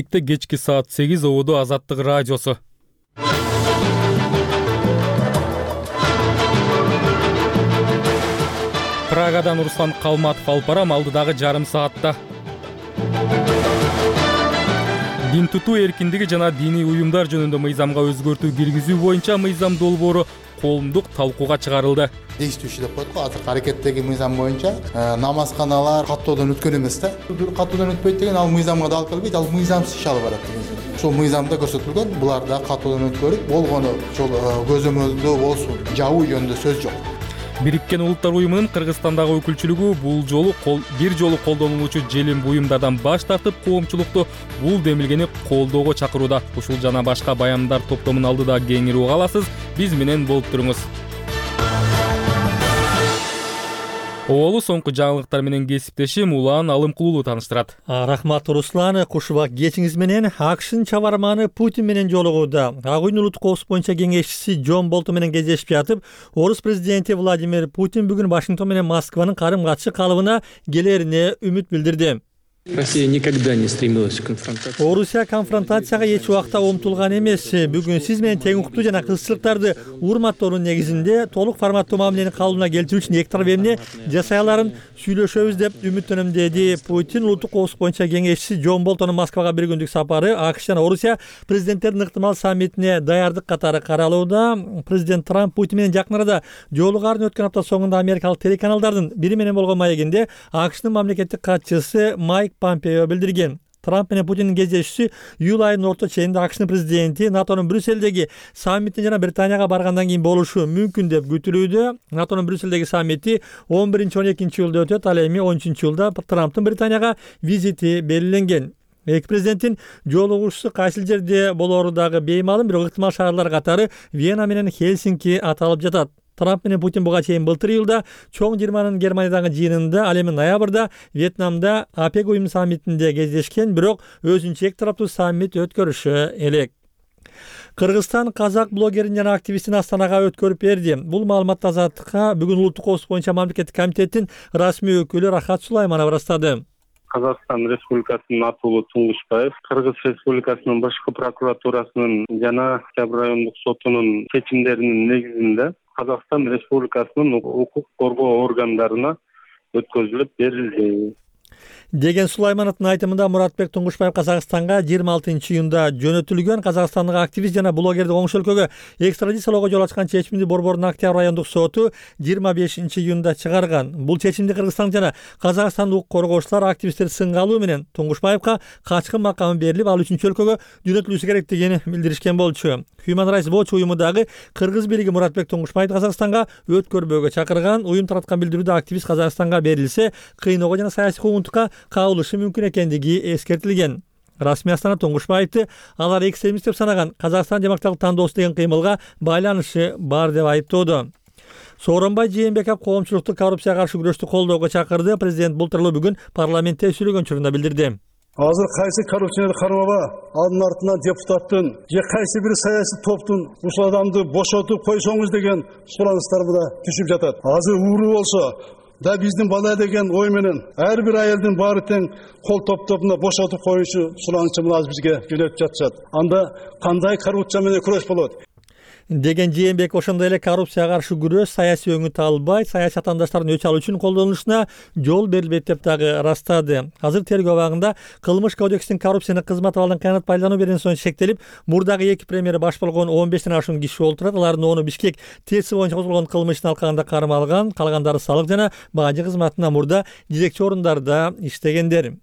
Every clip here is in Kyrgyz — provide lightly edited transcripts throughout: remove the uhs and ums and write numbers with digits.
Кечки саат 8 Ободо Азаттык радиосу. Прагадан Руслан Калматов алып барам алдыдагы жарым саатта. Дин тутуу эркиндиги жана диний уюмдар жөнүндө мыйзамга өзгөртүү киргизүү боюнча мыйзам долбоору коомдук талкууга чыгарылды. Действующий деп коет го, азыркы аракеттеги мыйзам боюнча намазканалар каттоодон өткөн эмес да. Каттоодон өтпөйт деген ал мыйзамга да алып келбейт, ал мыйзамсыз иш алып барат деген. Ошол мыйзамда көрсөтүлгөн, булар да каттоодон өткөрүп болгону ошол көзөмөлдөө болсун, жабуу жөнүндө сөз жок. Бириккен Улуттар уюмунун Кыргызстандагы өкүлчүлүгү бул жолу бир жолу колдонулуучу желим буюмдардан баш тартып, коомчулукту бул демилгени колдоого чакырууда. Ушул жана башка баяндар топтомун алдыда кеңири уга аласыз. Биз менен болуп туруңуз. Оолу соңку жаңылыктар менен кесиптешим Улан Алымкулуулу тааныштырат. Рахмат Руслан, кушубак кечиңиз менен. АКШнын чабарманы Путин менен жолугууда. Ак үйдүн улуттук коопсуздук боюнча кеңешчиси Джон Болтон менен кездешип жатып, орус президенти Владимир Путин бүгүн Вашингтон менен Москванын карым-катышы калыбына келерине үмүт билдирди. Россия никогда не стремилась к конфронтации. Орусия конфронтацияга эч убакта умтулган эмес. Бүгүн сиз менен тең укуктуу жана кызчылыктарды урматтоонун негизинде толук форматтуу мамилени калыбына келтирүү үчүн эки тарап эмне жасай аларын сүйлөшөбүз деп үмүттөнөм, деди Путин. Улуттук коопсуздук боюнча кеңешчиси Джон Болтондун Москвага бир күндүк сапары АКШ жана Орусия президенттеринин ыктымал саммитине даярдык катары каралууда. Президент Трамп Путин менен жакын арада жолугарын өткөн апта соңунда америкалык телеканалдардын бири менен болгон маегинде АКШнын мамлекеттик катчысы Майк Помпео билдирген. Трамп менен Путиндин кездешүүсү июль айынын орто ченинде АКШнын президенти НАТОнун Брюссельдеги саммитине жана Британияга баргандан кийин болушу мүмкүн деп күтүлүүдө. НАТОнун Брюссельдеги саммити 11-12 июлда өтөт. Ал эми 13 июлда Трамптын Британияга визити белгиленген. Эки президенттин жолугушуусу кайсыл жерде болоору дагы беймалым, бирок ыктымал шаарлар катары Вена менен Хельсинки аталып жатат. Трамп менен Путин буга чейин былтыр июлда чоң 20-нын Германиядагы жыйынында, ал эми ноябрда Вьетнамда АПЕК уюму саммитинде кездешкен, бирок өзүнчө эки тараптуу саммит өткөрүшү элек. Кыргызстан казак блогерин жана активистин Астанага өткөрүп берди. Бул маалыматты Азаттыкка бүгүн Улуттук коопсуздук боюнча мамлекеттик комитеттин расмий өкүлү Рахат Сулайманов ырастады. Казакстан Республикасынын атуулу Туңгушбаев Кыргыз Республикасынын башкы прокуратурасынын жана Октябрь райондук сотунун чечимдеринин негизинде Казакстан Республикасынын укук коргоо органдарына өткөзүлүп берилди деген Сулаймановдун айтымында Муратбек Туңгушбаев Казакстанга 26 июнда жөнөтүлгөн. Казакстандык активист жана блогерди коңшу өлкөгө экстрадициялоого жол ачкан чечимди Борбордун Октябрь райондук соту 25 июнда чыгарган. Бул чечимди Кыргызстан жана Казакстандык коргоочулар активисттер сынга алуу менен Туңгушбаевка качкын макамы берилип, ал үчүнчү өлкөгө жөнөтүлүшү керектигин билдиришкен болчу. Human Rights Watch уюму дагы Кыргыз бийлиги Муратбек Туңгушбаевди Казакстанга өткөрбөөгө чакырган. Уюм тараткан билдирүүдө активист Казакстанга берилсе, кыйноого жана саясий куугунтукка кабылышы мүмкүн экендиги эскертилген. Расмий Астана Туңгушбаевди алар экстремист деп санаган Казакстан демократиялык тандоосу деген кыймылга байланышы бар деп айыптоодо. Сооронбай Жээнбеков коомчулукту коррупцияга каршы күрөштү колдоого чакырды. Президент бул тууралуу бүгүн парламентте сүйлөгөн учурунда билдирди. Азыр кайсы коррупцияны кармаба, анын артынан депутаттын же кайсы бир саясий топтун ушул адамды бошотуп койсоңуз деген сураныстар да түшүп жатат. Азыр ууру болсо да биздин бала деген ой менен ар бир айылдын баары тең кол топтоп бошотуп коюшу суранычы азыр бизге жөнөтүп жатышат. Анда кандай коррупция менен күрөш болот? Деген Жээнбек ошондой эле коррупцияга каршы күрөш саясий өңүт албай, саясий атаандаштардын өч алуу үчүн колдонулушуна жол берилбейт деп дагы ырастады. Азыр тергөө абагында кылмыш кодексинин коррупцияны кызмат абалдан кыянат пайдалануу беренесине шектелип, мурдагы эки премьер баш болгон 15ден ашуун киши олтурат. Алардын 10-у Бишкек ТЭС боюнча козголгон кылмыштын алкагында кармалган, калгандары салык жана бажы кызматына мурда жетекчи орундарда иштегендер.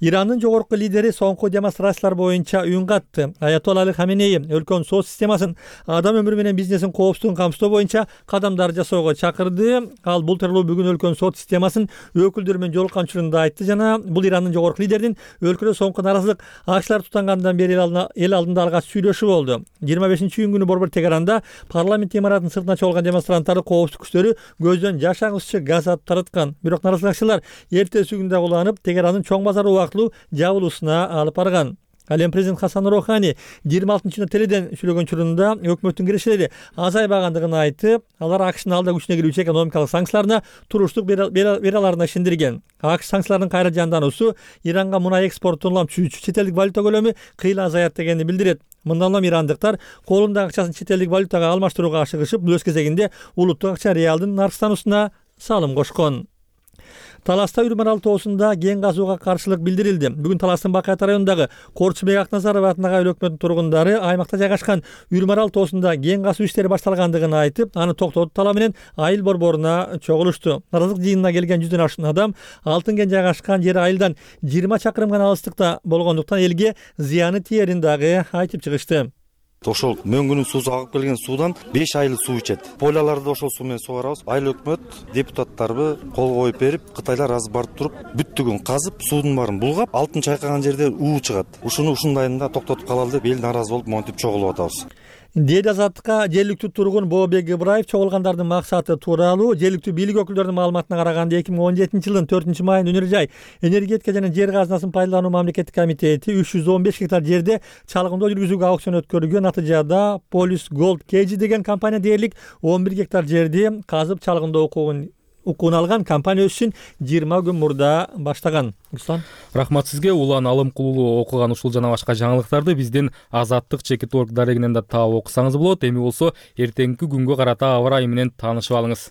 Ирандын жогорку лидери соңку демонстрациялар боюнча үн катты. Аятолла Али Хаменеи өлкөнүн сот системасын, адам өмүрү менен бизнесин коопсуздугун камсыздоо боюнча кадамдар жасоого чакырды. Ал бул тууралуу бүгүн өлкөнүн сот системасын өкүлдөр менен жолуккан учурунда айтты жана бул Ирандын жогорку лидеринин өлкөдө соңку наразылык акчалар тутангандан бери эл алдында алгач сүйлөшү болду. 25 июнь күнү борбор Тегаранда парламент имаратынын сыртына чогулган демонстранттарды коопсуздук күчтөрү көздөн жаш агызчы газ атып тараткан. Бирок наразылыкчылар эртеси күндө уланып Тегерандын чоң базары убактылуу жабылуусуна алып барган. Ал эми президент Хасан Рохани 26-июнда теледен сүйлөгөн учурунда өкмөттүн кирешелери азайбагандыгын айтып, алар АКШнын алда күчүнө кирүүчү экономикалык санкцияларына туруштук бере аларына ишендирген. АКШ санкцияларынын кайра жандануусу Иранга мунай экспортун улам түзүүчү четелдик валюта көлөмү кыйла азаят дегенди билдирет. Мындан улам ирандыктар колундагы акчасын четелдик валютага алмаштырууга ашыгышып, бул өз кезегинде улуттук акча реалдын наркстануусуна салым кошкон. Таласта Үрмарал тоосунда кен казууга каршылык билдирилди. Бүгүн Таластын Бакыят районундагы Корчубек Акназаров атындагы өлкө өкмөтүнүн тургундары аймакта жайгашкан Үрмарал тоосунда кен казуу иштери башталгандыгын айтып, аны токтотуу талабы менен айыл борборуна чогулушту. Наразылык жыйынына келген 100дөн ашкан адам алтын кен жайгашкан жери айылдан 20 чакырым гана алыстыкта болгондуктан элге зыяны тиерин дагы айтып чыгышты. Ошол мөңгүнүн суусу агып келген суудан 5 айлык суу ичет. Поляларды ошол суу менен сугарабыз. Айыл өкмөт депутаттарыбы кол коюп берип, Кытайлар азыр барып туруп, бүттүгүн казып, суудун баарын булгап, алтын чайкаган жерде уу чыгат. Ушуну ушундайында токтотуп калалы деп эл нааразы болуп монтип чогулуп атабыз. Дээд Азаттыкка жергиликтүү тургун Бообек Ибраев чогулгандардын максаты тууралуу жергиликтүү бийлик өкүлдөрүнүн маалыматына караганда 2017 жылдын 4-майында Өнөр жай энергетика жана жер казынасын пайдалануу мамлекеттик комитети 315 гектар жерде чалгындоо жүргүзүүгө аукцион өткөрүлгөн. Натыйжада Police Gold KG деген компания дээрлик 11 гектар жерди казып чалгындоо укугун алган. Компания өз ишин 20 күн мурда баштаган. Рахмат сизге. Улан Алымкулуу окуган ушул жана башка жаңылыктарды биздин Азаттык.org дарегинен да таап окусаңыз болот. Эми болсо эртеңки күнгө карата аба ырайы менен таанышып алыңыз.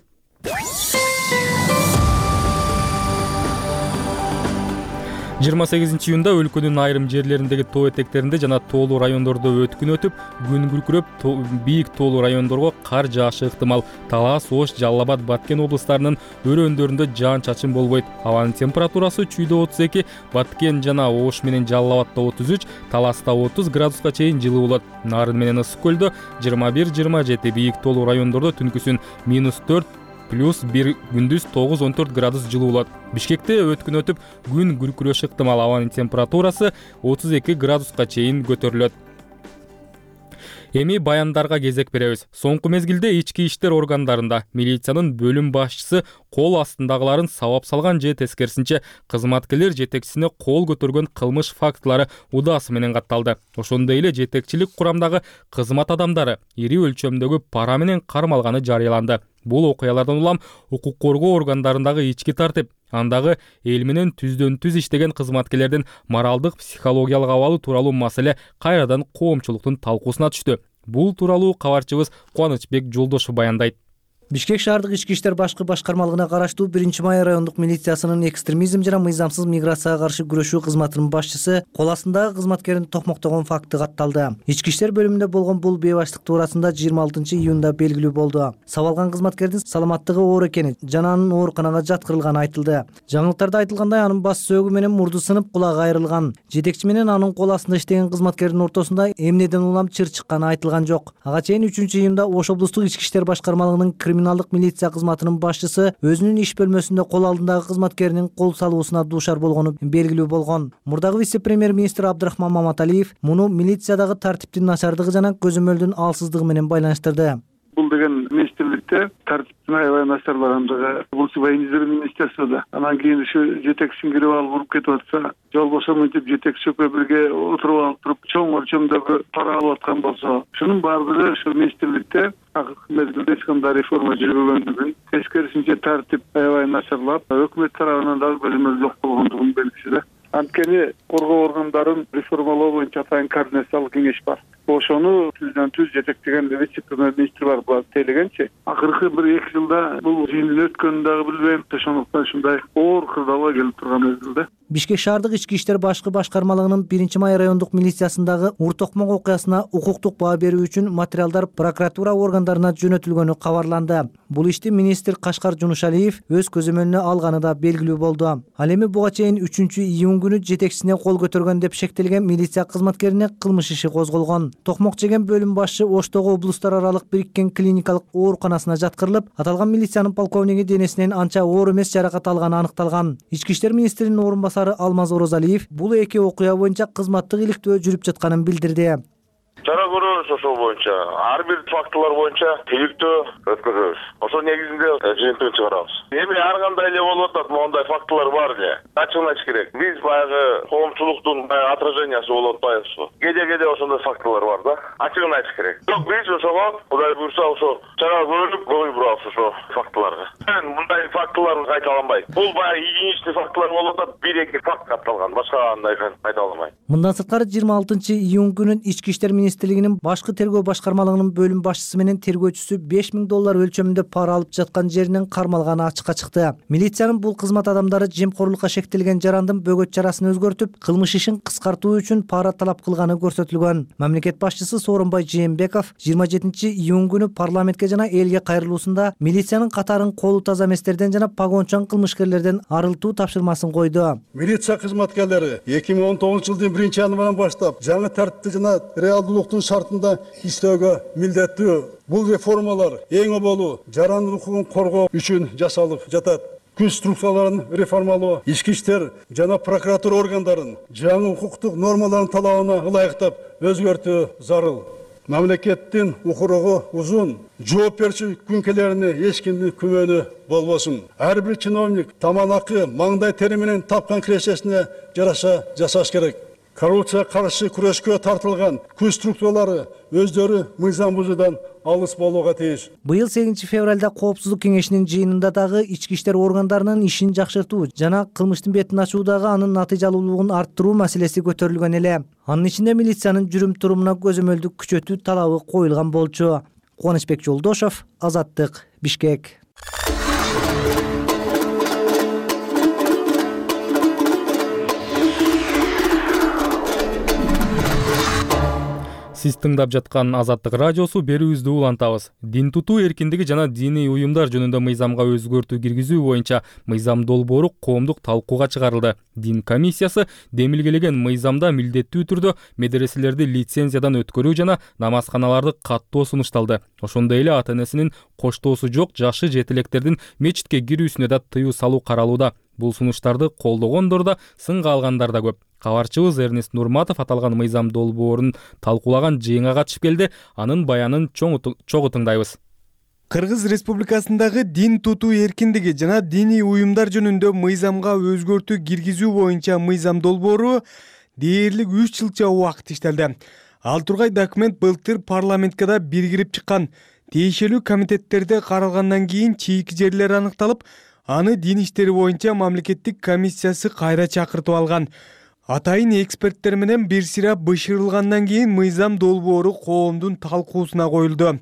28 июнда өлкөнүн айрым жерлериндеги тоо этектеринде жана тоолуу райондордо өткүн өтүп, күн күркүрөп, бийик тоолуу райондорго кар жаашы ыктымал. Талас, Ош, Жалал Абад, Баткен облустарынын өрөөндөрүндө жаан-чачын болбойт. Абанын температурасы Чүйдө 32, Баткен жана Ош менен Жалал Абадда 33, Таласта 30 градуска чейин жылуу болот. Нарын менен Ысык көлдө 21-27, бийик тоолуу райондордо түнкүсүн -4 +1, күндүз 9-14 градус жылуу болот. Бишкекте өткүн өтүп, күн күркүрөшү ыктымал. Абанын температурасы 32 градуска чейин көтөрүлөт. Эми баяндарга кезек беребиз. Соңку мезгилде ички иштер органдарында милициянын бөлүм башчысы кол астындагыларын сабап салган же тескерисинче кызматкерлер жетекчисине кол көтөргөн кылмыш фактылары удаасы менен катталды. Ошондой эле жетекчилик курамдагы кызмат адамдары ири өлчөмдөгү пара менен кармалганы жарыяланды. Бул окуялардан улам укук коргоо органдарындагы ички тартип, андагы эл менен түздөн-түз иштеген кызматкерлердин моралдык, психологиялык абалы тууралуу маселе кайрадан коомчулуктун талкуусуна түштү. Бул тууралуу кабарчыбыз Кубанычбек Жолдошов баяндайт. Бишкек шаардык ички иштер башкы башкармалыгына караштуу 1-май райондук милициясынын экстремизм жана мыйзамсыз миграцияга каршы күрөшүү кызматынын башчысы кол астындагы кызматкерин токмоктогон факты катталды. Ички иштер бөлүмүндө болгон бул бейбаштык туурасында 26 июнда белгилүү болду. Сабалган кызматкердин саламаттыгы оор экени жана анын ооруканага жаткырылганы айтылды. Жаңылыктарда айтылгандай, анын бас сөөгү менен мурду сынып, кулагы айрылган. Жетекчи менен анын кол астында иштеген кызматкердин ортосунда эмнеден улам чыр чыкканы айтылган жок. Ага чейин 3-июнда Ош облустук ички иштер башкармалыгынын криминалдык милиция кызматынын башчысы өзүнүн иш бөлмөсүндө кол алдындагы кызматкеринин кол салуусуна дуушар болгону белгилүү болгон. Мурдагы вице-премьер-министр Абдрахман Маматалиев муну милициядагы тартиптин начардыгы жана көзөмөлдүн алсыздыгы менен байланыштырды. Бул деген министрликте тартиптин аябай начарлангандыгы, бул военизм министерствода. Анан кийин ушу жетекчисин кирип алып уруп кетип атса, жол бошомун деп жетекчи бирге отуруп алып туруп, чоң өлчөмдөгү пара алып аткан болсо, ушунун баардыгы ушу министрликте акыркы мезгилде эч кандай реформа жүрбөгөндүгүн, тескерисинче тартип аябай начарлап, өкмөт тарабынан дагы көзөмөл жок болгондугун белгиси да. Анткени коргоо органдарын реформалоо боюнча атайын координациялык кеңеш бар. Ошону түздөн-түз жетектеген вице-премьер-министр бар, буга тейлегенчи. Акыркы 1-2 жылда бул жыйындын өткөнүн дагы билбейм. Ошондуктан ушундай оор кырдаалга келип турган мезгилде. Бишкек шаардык ички иштер башкы башкармалыгынын 1-май райондук милициясындагы Ур-Токмок окуясына укуктук баа берүү үчүн материалдар прокуратура органдарына жөнөтүлгөнү кабарланды. Бул ишти министр Кашкар Жунушалиев өз көзөмөлүнө алганы да белгилүү болду. Ал эми буга чейин 3-июнь күнү жетекчисине кол көтөргөн деп шектелген милиция кызматкерине кылмыш иши козголгон. Токмок жеген бөлүм башчы Оштогу облустар аралык бириккен клиникалык ооруканасына жаткырылып, аталган милициянын полковниги денесинен анча оор эмес жаракат алганы аныкталган. Ички иштер министринин орун басары Алмаз Орозалиев бул эки окуя боюнча кызматтык иликтөө жүрүп жатканын билдирди. Чара көрүү көрүнүш ошол боюнча ар бир фактылар боюнча териктөө өткөзөбүз. Ошол негизинде жыйынтыгын чыгарабыз. Эми ар кандай эле болуп атат, моундай фактылар бар эле. Ачыгын айтыш керек. Биз баягы коомчулуктун отражениясы болуп атпайбызбы? Кеде ошондой фактылар бар да. Ачыгын айтыш керек. Бирок биз ошого Кудай буйрса ошо чара көрүп көңүл бурабыз ошо фактыларга. Мындай фактылар кайталанбайт. Бул баягы единичный фактылар болуп атат, 1-2 факт катталган. Башка андай кайта алмайт. Мындан сырткары 26-июнь күнүн Ички иштер министрлигинин башкы тергөө башкармалыгынын бөлүм башчысы менен тергөөчүсү $5000 өлчөмүндө пара алып жаткан жеринен кармалганы ачыкка чыкты. Милициянын бул кызмат адамдары жемкорлукка шектелген жарандын бөгөт чарасын өзгөртүп, кылмыш ишин кыскартуу үчүн пара талап кылганы көрсөтүлгөн. Мамлекет башчысы Сооронбай Жээнбеков 27-июнь күнү парламентке жана элге кайрылуусунда милициянын катарын колу таза эместерден жана погончон кылмышкерлерден арылтуу тапшырмасын койду. Милиция кызматкерлери 2019-жылдын 1-январынан баштап жаңы тартипти жана реалдуулуктун шартында иштөөгө милдеттүү. Бул реформалар эң оболу жарандын укугун коргоо үчүн жасалып жатат. Күч структураларын реформалоо, ички иштер жана прокуратура органдарын жаңы укуктук нормалардын талабына ылайыктап өзгөртүү зарыл. Мамлекеттин укуругу узун, жооп берүүчү күнкелерине эч кимдин күмөнү болбосун. Ар бир чиновник таманакы маңдай тери менен тапкан кирешесине жараша жасаш керек. Коррупция каршы күрөшкө тартылган күч структуралары өздөрү мыйзам бузуудан алыс болууга тийиш. Быйыл 8 февралда Коопсуздук кеңешинин жыйынында дагы ички иштер органдарынын ишин жакшыртуу жана кылмыштын бетин ачуудагы анын натыйжалуулугун арттыруу маселеси көтөрүлгөн эле. Анын ичинде милициянын жүрүм-турумуна көзөмөлдүк күчөтүү талабы коюлган болчу. Кубанычбек Жолдошов, Азаттык, Бишкек. Сиз тыңдап жаткан Азаттык радиосу, берүүбүздү улантабыз. Дин тутуу эркиндиги жана диний уюмдар жөнүндө мыйзамга өзгөртүү киргизүү боюнча мыйзам долбоору коомдук талкууга чыгарылды. Дин комиссиясы демилгелеген мыйзамда милдеттүү түрдө медреселерди лицензиядан өткөрүү жана намазканаларды каттоо сунушталды. Ошондой эле ата-энесинин коштоосу жок жашы жетилектердин мечитке кирүүсүнө да тыюу салуу каралууда. Бул сунуштарды колдогондор да, сынга алгандар да көп. Кабарчыбыз Эрнест Нурматов аталган мыйзам долбоорун талкуулаган жыйынга катышып келди. Анын баянын чогуу тыңдайбыз. Кыргыз Республикасындагы дин тутуу эркиндиги жана диний уюмдар жөнүндө мыйзамга өзгөртүү киргизүү боюнча мыйзам долбоору дээрлик 3 жылча убакыт иштелди. Ал тургай документ былтыр парламентке да биргирип чыккан. Тиешелүү комитеттерде каралгандан кийин чийки жерлер аныкталып, аны дин иштери боюнча мамлекеттик комиссиясы кайра чакыртып алган. Атайын эксперттер менен бир сыйра бышырылгандан кийин мыйзам долбоору коомдун талкуусуна коюлду.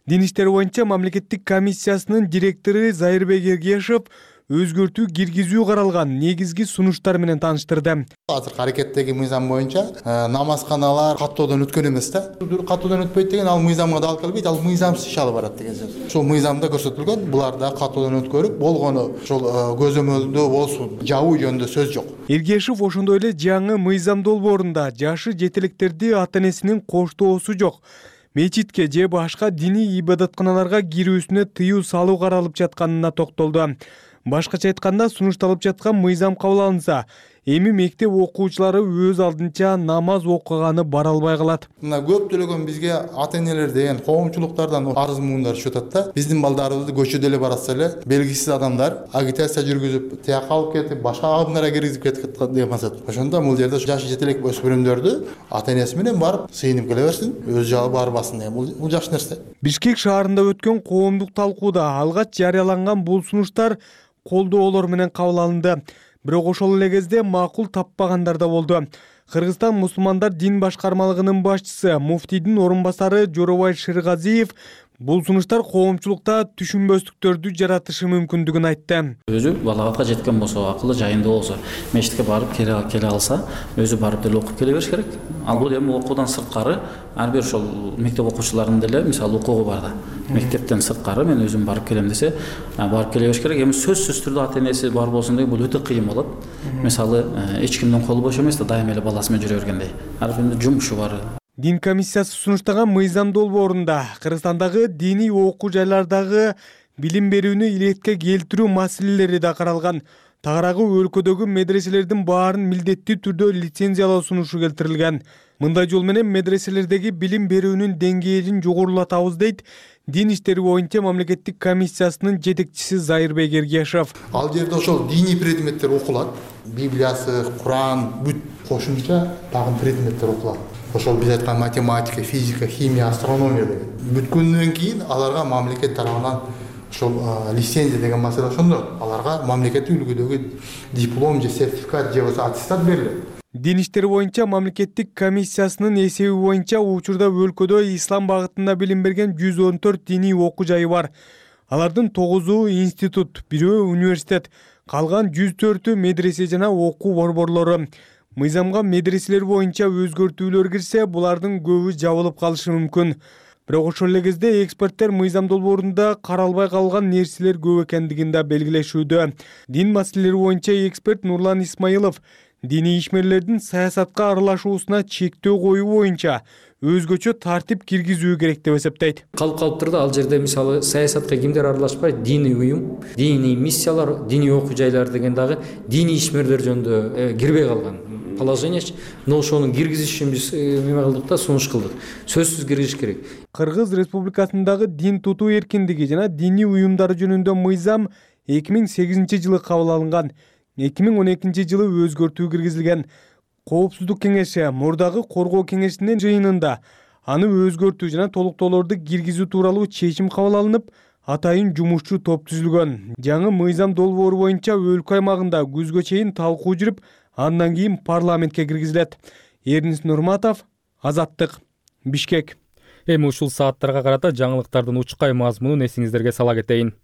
Дин иштери боюнча мамлекеттик комиссиясынын директору Зайырбек Эргешев өзгөртүү киргизүү каралган негизги сунуштар менен тааныштырды. Азыркы аракеттеги мыйзам боюнча намазканалар каттоодон өткөн эмес да. Каттоодон өтпөйт деген ал мыйзамга да алып келбейт, ал мыйзамсыз иш алып барат деген сөз. Ошол мыйзамда көрсөтүлгөн, булар да каттоодон өткөрүп, болгону ошол көзөмөлдөө болсун, жабуу жөнүндө сөз жок. Эргешев ошондой эле жаңы мыйзам долбоорунда жашы жетилектерди ата-энесинин коштоосу жок мечитке же башка диний ибадатканаларга кирүүсүнө тыюу салуу каралып жатканына токтолду. Башкача айтканда, сунушталып жаткан мыйзам кабыл алынса, эми мектеп окуучулары өз алдынча намаз окуганы бара албай калат. Мына көптөгөн бизге ата-энелер деген коомчулуктардан арыз муундар түшүп атат да. Биздин балдарыбызды көчөдө эле баратса эле белгисиз адамдар агитация жүргүзүп, тияка алып кетип, башка агымдарга киргизип кетип деген масат. Ошондо бул жерде жашы жетелек өспүрүмдөрдү ата-энеси менен барып сыйынып келе берсин, өз жагы барбасын деген бул жакшы нерсе. Бишкек шаарында өткөн коомдук талкууда алгач жарыяланган бул сунуштар колдоолор менен кабыл алынды. Бирок ошол эле кезде макул таппагандар да болду. Кыргызстан мусулмандар дин башкармалыгынын башчысы, муфтийдин орун басары Жоробай Шыргазиев бул сунуштар коомчулукта түшүнбөстүктөрдү жаратышы мүмкүндүгүн айтты. Өзү балагатка жеткен болсо, акылы жайында болсо, мечитке барып келе алса, өзү барып деле окуп келе бериш керек. Ал бул эми окуудан сырткары ар бир ошол мектеп окуучуларынын деле мисалы укугу бар да. Мектептен сырткары мен өзүм барып келем десе, барып келе бериш керек. Эми сөзсүз түрдө ата-энеси бар болсун деген бул өтө кыйын болот. Мисалы эч кимдин колу бош эмес да, дайыма эле баласы менен жүрө бергендей. Ар биринин жумушу бар. Дин комиссиясы сунуштаган мыйзам долбоорунда Кыргызстандагы диний окуу жайлардагы билим берүүнү илетке келтирүү маселелери да каралган. тагыраагы өлкөдөгү медреселердин баарын милдеттүү түрдө лицензиялоо сунушу келтирилген. Мындай жол менен медреселердеги билим берүүнүн деңгээлин жогорулатабыз дейт Дин иштери боюнча мамлекеттик комиссиясынын жетекчиси Зайырбек Эргешев. Ал жерде ошол диний предметтер окулат. Библиясы, Куран, бүт кошумча дагы предметтер окулат. Ошол биз айткан математика, физика, химия, астрономия деген. Бүткөндөн кийин аларга мамлекет тарабынан ошол лицензия деген маселе ошондо аларга мамлекеттик үлгүдөгү диплом же сертификат же болбосо аттестат берилет. Дин иштери боюнча мамлекеттик комиссиясынын эсеби боюнча учурда өлкөдө ислам багытында билим берген 114 диний окуу жайы бар. Алардын 9-у институт, 1-өө университет, калган 104-ü медресе жана окуу борборлору. Мыйзамга медреселер боюнча өзгөртүүлөр кирсе, булардын көбү жабылып калышы мүмкүн. Бирок ошол эле кезде эксперттер мыйзам долбоорунда каралбай калган нерселер көп экендигин да белгилешүүдө. Дин маселелери боюнча эксперт Нурлан Исмаилов диний ишмерлердин саясатка аралашуусуна чектөө коюу боюнча өзгөчө тартип киргизүү керек деп эсептейт. Калыптырда ал жерде мисалы саясатка кимдер аралашпайт, диний уюм, диний миссиялар, диний окуу жайлар деген дагы диний ишмерлер жөнүндө кирбей калган положение. Но ошону киргизиш үчүн биз эме кылдык да, сунуш кылдык. Сөзсүз киргизиш керек. Кыргыз Республикасындагы дин тутуу эркиндиги жана диний уюмдар жөнүндө мыйзам 2008-жылы кабыл алынган. 2012 жылы өзгөртүү киргизилген. Коопсуздук кеңеши мурдагы коргоо кеңешинин жыйынында аны өзгөртүү жана толуктоолорду киргизүү тууралуу чечим кабыл алынып, атайын жумушчу топ түзүлгөн. Жаңы мыйзам долбоору боюнча өлкө аймагында күзгө чейин талкуу жүрүп, андан кийин парламентке киргизилет. Эрнис Нурматов, Азаттык, Бишкек. Эми ушул сааттарга карата жаңылыктардын учкай мазмунун эсиңиздерге сала кетейин.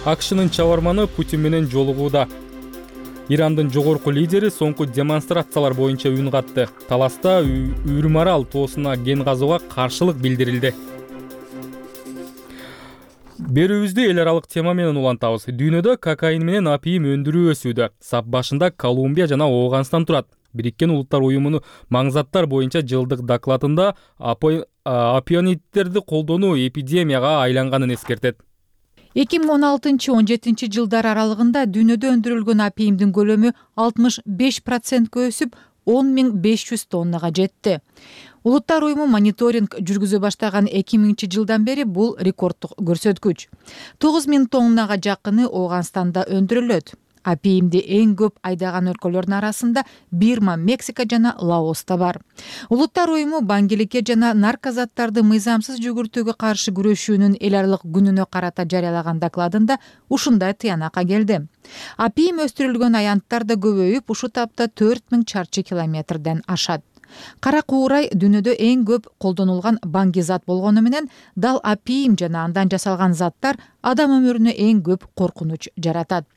АКШнын чабарманы Путин менен жолугууда. Ирандын жогорку лидери соңку демонстрациялар боюнча үн катты. Таласта Үрмарал тоосуна кен казууга каршылык билдирилди. Берүүбүздү эл аралык тема менен улантабыз. Дүйнөдө кокаин менен апийим өндүрүү өсүүдө. Сап башында Колумбия жана Ооганстан турат. Бириккен Улуттар уюмунун маңзаттар боюнча жылдык докладында опионидтерди колдонуу эпидемияга айланганын эскертет. 2016-17 жылдар аралыгында дүйнөдө өндүрүлгөн апийимдин көлөмү 65%га өсүп 10.500 тоннага жетти. Улуттар уюму мониторинг жүргүзө баштаган 2000 жылдан бери бул рекорддук көрсөткүч. 9000 тоннага жакыны Ооганстанда өндүрүлөт. Апийимди эң көп айдаган өлкөлөрдүн арасында Бирма, Мексика жана Лаоста бар. Улуттар уюму баңгиликке жана наркозаттарды мыйзамсыз жүгүртүүгө каршы күрөшүүнүн эл аралык күнүнө карата жарыялаган докладында ушундай тыянакка келди. Апийим өстүрүлгөн аянттар да көбөйүп, ушул тапта 4000 чарчы километрден ашат. Кара куурай дүйнөдө эң көп колдонулган баңги зат болгону менен дал апийим жана андан жасалган заттар адам өмүрүнө эң көп коркунуч жаратат.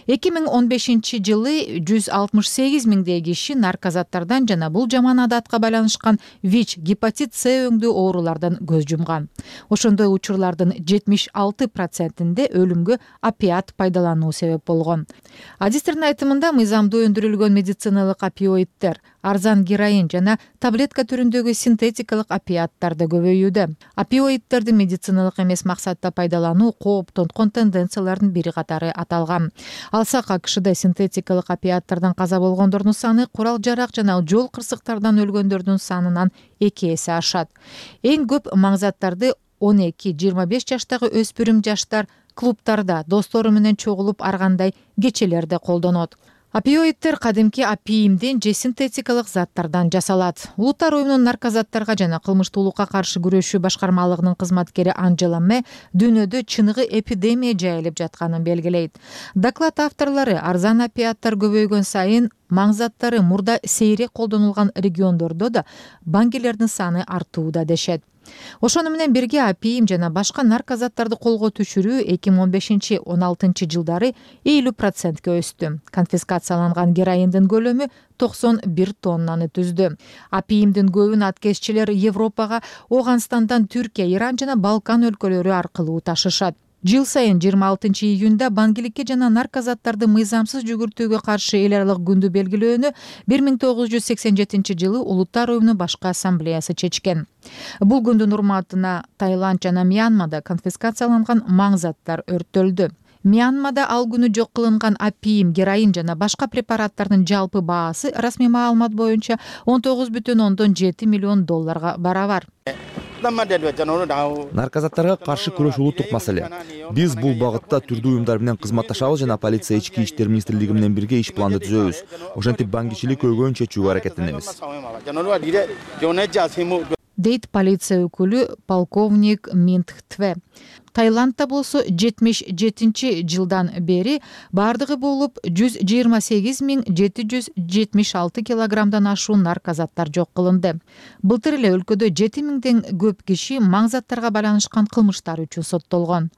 2015 жылы 168 миңдей киши наркозаттардан жана бул жаман адатка байланышкан ВИЧ, гепатит С өңдүү оорулардан көз жумган. Ошондой учурлардын 76%-inde өлүмгө опиат пайдалануу себеп болгон. Адистердин айтымында мыйзамдуу өндүрүлгөн медициналык опиоиддер, арзан героин жана таблетка түрүндөгү синтетикалык опиаттар да көбөйүүдө. Опиоиддерди медициналык эмес максатта пайдалануу кооптонткон тенденциялардын бири катары аталган. Алсак АКШда синтетикалык опиаттардан каза болгондордун саны курал-жарак жана жол кырсыктардан өлгөндөрдүн санынан 2 эсе ашат. Эң көп маңзаттарды 12-25 жаштагы өспүрүм жаштар клубтарда достору менен чогулуп аргандай кечелерде колдонот. Опиоиддер кадимки апийимден же синтетикалык заттардан жасалат. Улуттар уюмунун наркозаттарга жана кылмыштуулукка каршы күрөшүү башкармалыгынын кызматкери Анжела Ме дүйнөдө чыныгы эпидемия жайылып жатканын белгилейт. Доклад авторлору арзан опиаттар көбөйгөн сайын маңзаттары мурда сейрек колдонулган региондордо да баңгилердин саны артууда дешет. Ошону менен бирге апийим жана башка наркозаттарды колго түшүрүү 2015-16 жылдары 50%га өстү. Конфискацияланган героиндин көлөмү 91 тоннаны түздү. Апийимдин көбүн аткезчилер Европага, Ооганстандан Түркия, Иран жана Балкан өлкөлөрү аркылуу ташышат. Жыл сайын 26-июнда баңгиликке жана наркозаттарды мыйзамсыз жүгүртүүгө каршы эл аралык күндү белгилөөнү 1987-жылы Улуттар уюмунун башкы ассамблеясы чечкен. Бул күндүн урматына Таиланд жана Мьянмада конфискацияланган маң заттар өрттөлдү. Мьянмада ал күнү жок кылынган опиум, героин жана башка препараттардын жалпы баасы расмий маалымат боюнча $19,7 миллион барабар. Наркозаттарга каршы күрөш улуттук маселе. Биз бул багытта түрдүү уюмдар менен кызматташабыз жана полиция ички иштер министрлиги менен бирге иш планды түзөбүз. Ошентип баңгичилик көйгөйүн чечүүгө аракеттенебиз. Дейт полиция өкүлү полковник Минт Тве. Таиландда болсо 77-жылдан бери бардыгы болуп 128.776 килограммдан ашуун наркозаттар жок кылынды. Былтыр эле өлкөдө 7000ден көп киши маң заттарга байланышкан кылмыштар үчүн соттолгон.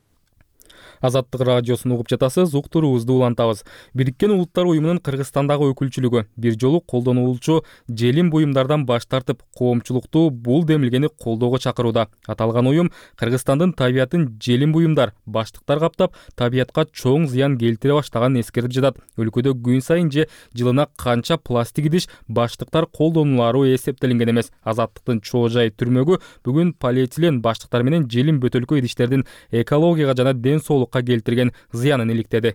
Азаттык радиосун угуп жатасыз, уктуруубузду улантабыз. Бириккен Улуттар уюмунун Кыргызстандагы өкүлчүлүгү бир жолу колдонулуучу желим буюмдардан баш тартып, коомчулукту бул демилгени колдоого чакырууда. Аталган уюм Кыргызстандын табиятын желим буюмдар, баштыктар каптап, табиятка чоң зыян келтире баштаганын эскертип жатат. Өлкөдө күн сайын же жылына канча пластик идиш, баштыктар колдонулары эсептелинген эмес. Азаттыктын чоо жай түрмөгү бүгүн полиэтилен баштыктар менен желим бөтөлкө идиштердин экологияга жана ден соолукка келтирген зыянын иликтеди.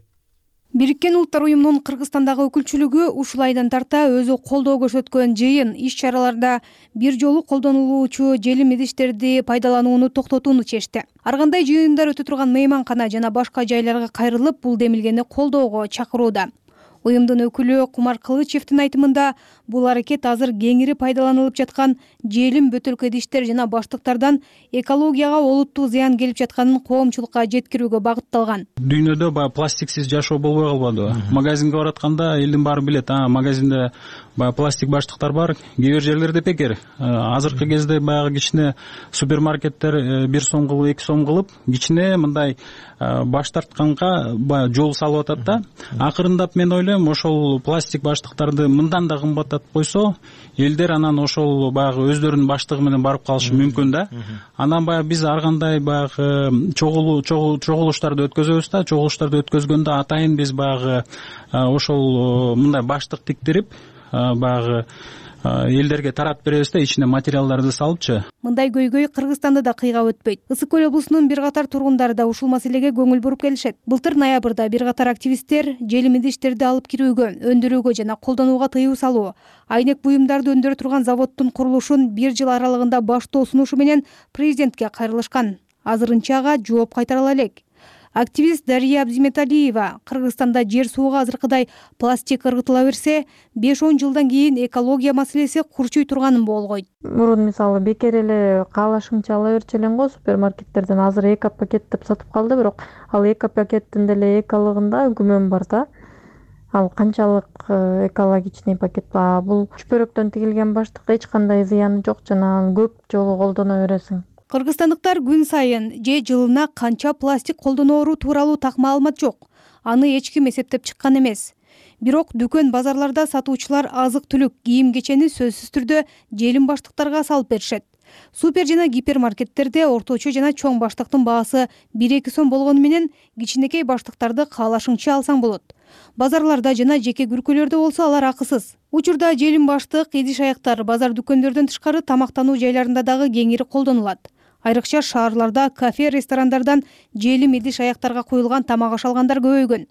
Бириккен Улуттар уюмунун Кыргызстандагы өкүлчүлүгү ушул айдан тарта өзү колдоо көрсөткөн жыйын иш-чараларда бир жолу колдонулуучу желим идиштерди пайдаланууну токтотууну чечти. Ар кандай жыйындар өтө турган мейманкана жана башка жайларга кайрылып, бул демилгени колдоого чакырууда. Уюмдун өкүлү Кумар Кылычевдин айтымында, бул аракет азыр кеңири пайдаланылып жаткан желим бөтөлкө идиштер жана баштыктардан экологияга олуттуу зыян келип жатканын коомчулукка жеткирүүгө багытталган. Дүйнөдө баягы пластиксиз жашоо болбой калбадыбы? Магазинге баратканда элдин баары билет, магазинде баягы пластик баштыктар бар, кээ бир жерлерде бекер. Азыркы кезде баягы кичине супермаркеттер 1 сом кылып, 2 сом кылып, кичине мындай баш тартканга баягы жол салып атат да. Акырындап мен ойлойм, ошол пластик баштыктарды мындан да кымбаттатып койсо, элдер анан ошол баягы өздөрүнүн баштыгы менен барып калышы мүмкүн да. Анан баягы биз ар кандай баягы чогулуштарды өткөзөбүз да, чогулуштарды өткөзгөндө атайын биз баягы ошол мындай баштык тиктирип баягы элдерге таратып беребиз да, ичине материалдарды салыпчы. Мындай көйгөй Кыргызстанда да кыйгап өтпөйт. Ысык көл облусунун бир катар тургундары да ушул маселеге көңүл буруп келишет. Былтыр ноябрда бир катар активисттер желим идиштерди алып кирүүгө, өндүрүүгө жана колдонууга тыюу салуу, айнек буюмдарды өндүрө турган заводдун курулушун 1 жыл аралыгында баштоо сунушу менен президентке кайрылышкан. Азырынча ага жооп кайтара ала элек. Активист Дария Абзиметалиева Кыргызстанда жер сууга азыркыдай пластик ыргытыла берсе, 5-10 жылдан кийин экология маселеси курчуй турганын болгойт. Мурун мисалы бекер эле каалашыңча ала берчү элең го супермаркеттерден, азыр эко пакет деп сатып калды, бирок ал эко пакеттин деле экологунда күмөн бар да. Ал канчалык экологичный пакет ба, бул чүпөрөктөн тигилген баштык эч кандай зыяны жок жана көп жолу колдоно бересиң. Кыргызстандыктар күн сайын же жылына канча пластик колдоноору тууралуу так маалымат жок. Аны эч ким эсептеп чыккан эмес. Бирок дүкөн базарларда сатуучулар азык-түлүк, кийим-кечени сөзсүз түрдө желим баштыктарга салып беришет. Супер жана гипермаркеттерде орточо жана чоң баштыктын баасы 1-2 сом болгону менен кичинекей баштыктарды каалашыңча алсаң болот. Базарларда жана жеке күркөлөрдө болсо алар акысыз. Учурда желим баштык, идиш аяктар базар дүкөндөрдөн тышкары тамактануу жайларында дагы кеңири колдонулат. Айрыкча шаарларда кафе, ресторандардан желим идиш аяктарга куюлган тамак аш алгандар көбөйгөн.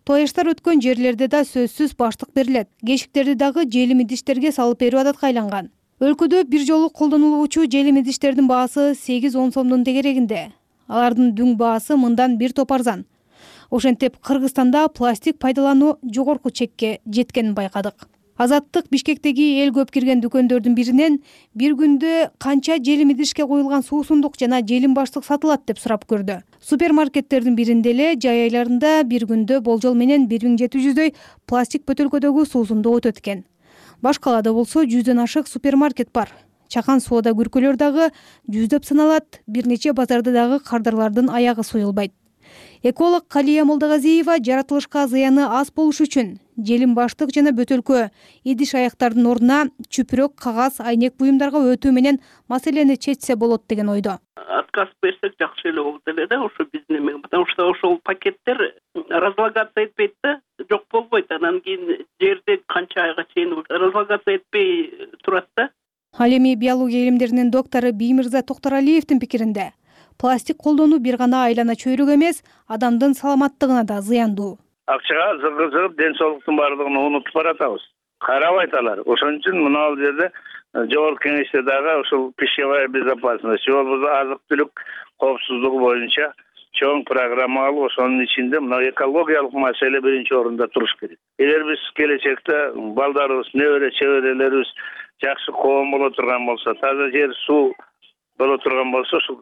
Тояштар өткөн жерлерде да сөзсүз баштык берилет. Кешиктерди дагы желим идиштерге салып берүү адатка айланган. Өлкөдө бир жолу колдонулуучу желим идиштердин баасы 8-10 сомдун тегерегинде. Алардын дүң баасы мындан бир топ арзан. Ошентип Кыргызстанда пластик пайдалануу жогорку чекке жеткенин байкадык. Азаттык Бишкектеги эл көп кирген дүкөндөрдүн биринен бир күндө канча желим идишке коюлган суусундук жана желим баштык сатылат деп сурап көрдү. Супермаркеттердин биринде эле жай айларында бир күндө болжол менен 1700дөй пластик бөтөлкөдөгү суусундук өтөт экен. Баш калаада болсо 100дөн ашык супермаркет бар. Чакан соода күркөлөр дагы жүздөп саналат, бир нече базарда дагы кардарлардын аягы суюлбайт. Эколог Калия Молдогазиева жаратылышка зыяны аз болуш үчүн желим баштык жана бөтөлкө идиш аяктардын ордуна чүпүрөк, кагаз, айнек буюмдарга өтүү менен маселени чечсе болот деген ойдо. Отказ берсек жакшы эле болот эле да, ошо биздин эме, потому что ошол пакеттер разлагаться этпейт да, жок болбойт. Анан кийин жерде канча айга чейин разлагаться этпей турат да. Ал эми биология илимдеринин доктору Биймирза Токторалиевдин пикиринде пластик колдонуу бир гана айлана чөйрөк эмес, адамдын саламаттыгына да зыяндуу. Акчага зыгыр ден соолуктун баардыгын унутуп баратабыз. Карабайт алар. Ошон үчүн мына ал жерде жогорку кеңеште дагы ушул пищевая безопасность, же болбосо азык-түлүк коопсуздугу боюнча чоң программа алып, ошонун ичинде мына экологиялык маселе биринчи орунда туруш керек. Эгер биз келечекте балдарыбыз, небере чеберелерибиз жакшы коом боло турган болсо, таза жер, суу боло турган болсо, ушул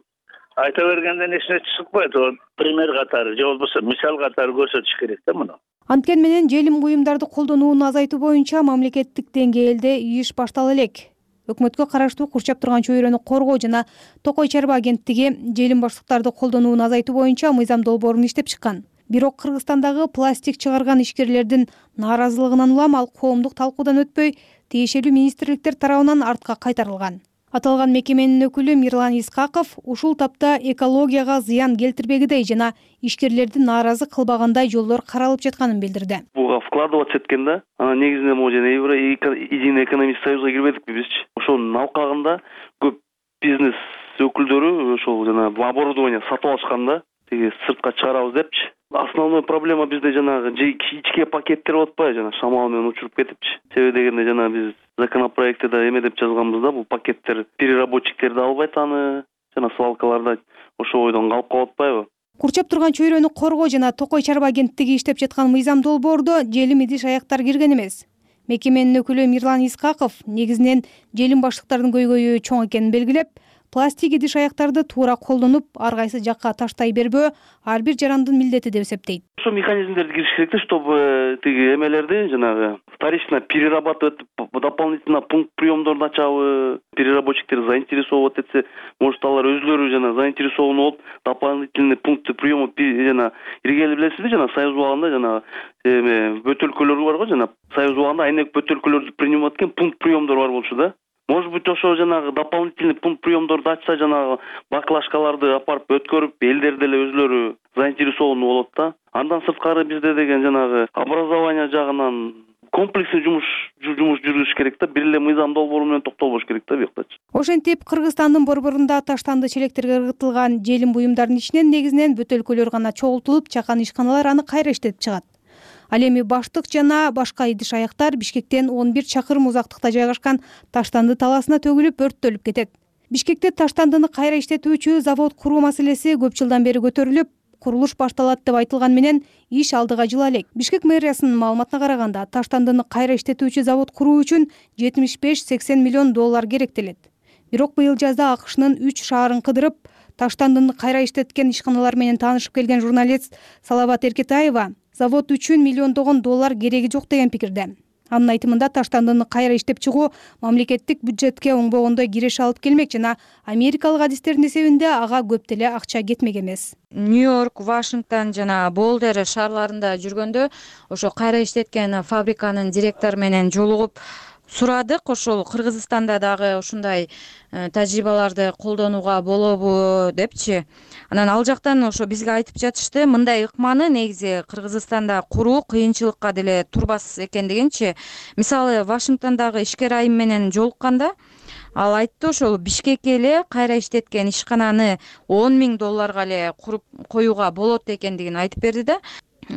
айта бергенден эч нерсе чыкпайт. Пример катары, же болбосо мисал катары көрсөтүш керек да муну. Анткени менен желим буюмдарды колдонууну азайтуу боюнча мамлекеттик деңгээлде иш баштала элек. Өкмөткө караштуу курчап турган чөйрөнү коргоо жана Токой чарба агенттиги желим баштыктарды колдонууну азайтуу боюнча мыйзам долбоорун иштеп чыккан. Бирок Кыргызстандагы пластик чыгарган ишкерлердин нааразылыгынан улам ал коомдук талкуудан өтпөй, тиешелүү министрликтер тарабынан артка кайтарылган. Аталган мекеменин өкүлү Мирлан Искаков ушул тапта экологияга зыян келтирбегидей жана ишкерлерди нааразы кылбагандай жолдор каралып жатканын билдирди. Буга вкладываться эткен да. Анан негизинен могу жана Единый экономический союзга кирбедикпи бизчи. Ошонун алкагында көп бизнес өкүлдөрү ошол жана оборудование сатып алышкан да. Тиги сыртка чыгарабыз депчи. Основной проблема бизде жанагы ичке пакеттер болуп атпайбы, жана шамал менен учуруп кетипчи. Себеби дегенде жана биз законопроектте да эме деп жазганбыз да, бул пакеттер переработчиктерди албайт аны, жана свалкаларда ошол ойдон калып калып атпайбы. Курчап турган чөйрөнү коргоо жана Токой чарба агенттиги иштеп жаткан мыйзам долбоордо желим идиш аяктар кирген эмес. Мекеменин өкүлү Мирлан Искаков негизинен желим баштыктардын көйгөйү чоң экенин белгилеп, пластик идиш аяктарды туура колдонуп, ар кайсы жакка таштай бербөө ар бир жарандын милдети деп эсептейт. Ошо механизмдерди кириш керек да, чтобы тиги эмелерди жанагы вторично перерабатывать, дополнительно пункт приемдорду ачабы, переработчиктер заинтересовать этсе, может алар өзлөрү жана заинтересован болуп, дополнительный пункты приема жана иргели билесизби, жана союз убагында жана эме бөтөлкөлөр бар го, жана союз убагында айнек бөтөлкөлөрдү принимать эткен пункт приемдор бар болчу да. Может быть, ошо жанагы дополнительный пункт приемдорду ачса, жанагы баклашкаларды апарып өткөрүп, элдер деле өзлөрү заинтересован болот да. Андан сырткары бизде деген жанагы образование жагынан комплексный жумуш жүргүзүш керек да, бир эле мыйзам долбоору менен токтолбош керек да буяктачы. Ошентип Кыргызстандын борборунда таштанды челектерге ыргытылган желим буюмдардын ичинен негизинен бөтөлкөлөр гана чогултулуп, чакан ишканалар аны кайра иштетип чыгат. Ал эми баштык жана башка идиш аяктар Бишкектен 11 чакырым узактыкта жайгашкан таштанды талаасына төгүлүп өрттөлүп кетет. Бишкекте таштандыны кайра иштетүүчү завод куруу маселеси көп жылдан бери көтөрүлүп, курулуш башталат деп айтылган менен иш алдыга жыла элек. Бишкек мэриясынын маалыматына караганда, таштандыны кайра иштетүүчү завод куруу үчүн 75-80 миллион доллар керектелет. Бирок быйыл жазда АКШнын 3 шаарын кыдырып, таштандыны кайра иштеткен ишканалар менен таанышып келген журналист Салават Эркетаева завод үчүн миллиондогон доллар кереги жок деген пикирде. Анын айтымында таштандыны кайра иштеп чыгуу мамлекеттик бюджетке оңбогондой киреш алып келмек жана америкалык адистердин эсебинде ага көп деле акча кетмек эмес. Нью-Йорк, Вашингтон жана Болдер шаарларында жүргөндө ошо кайра иштеткен фабриканын директору менен жолугуп сурадык. Ошол Кыргызстанда дагы ушундай тажрыйбаларды колдонууга болобу депчи. Анан ал жактан ошо бизге айтып жатышты, мындай ыкманы негизи Кыргызстанда куруу кыйынчылыкка деле турбас экендигинчи. Мисалы, Вашингтондагы ишкер айым менен жолукканда ал айтты, ошол Бишкекке эле кайра иштеткен ишкананы 10 000 долларга эле куруп коюуга болот экендигин айтып берди да.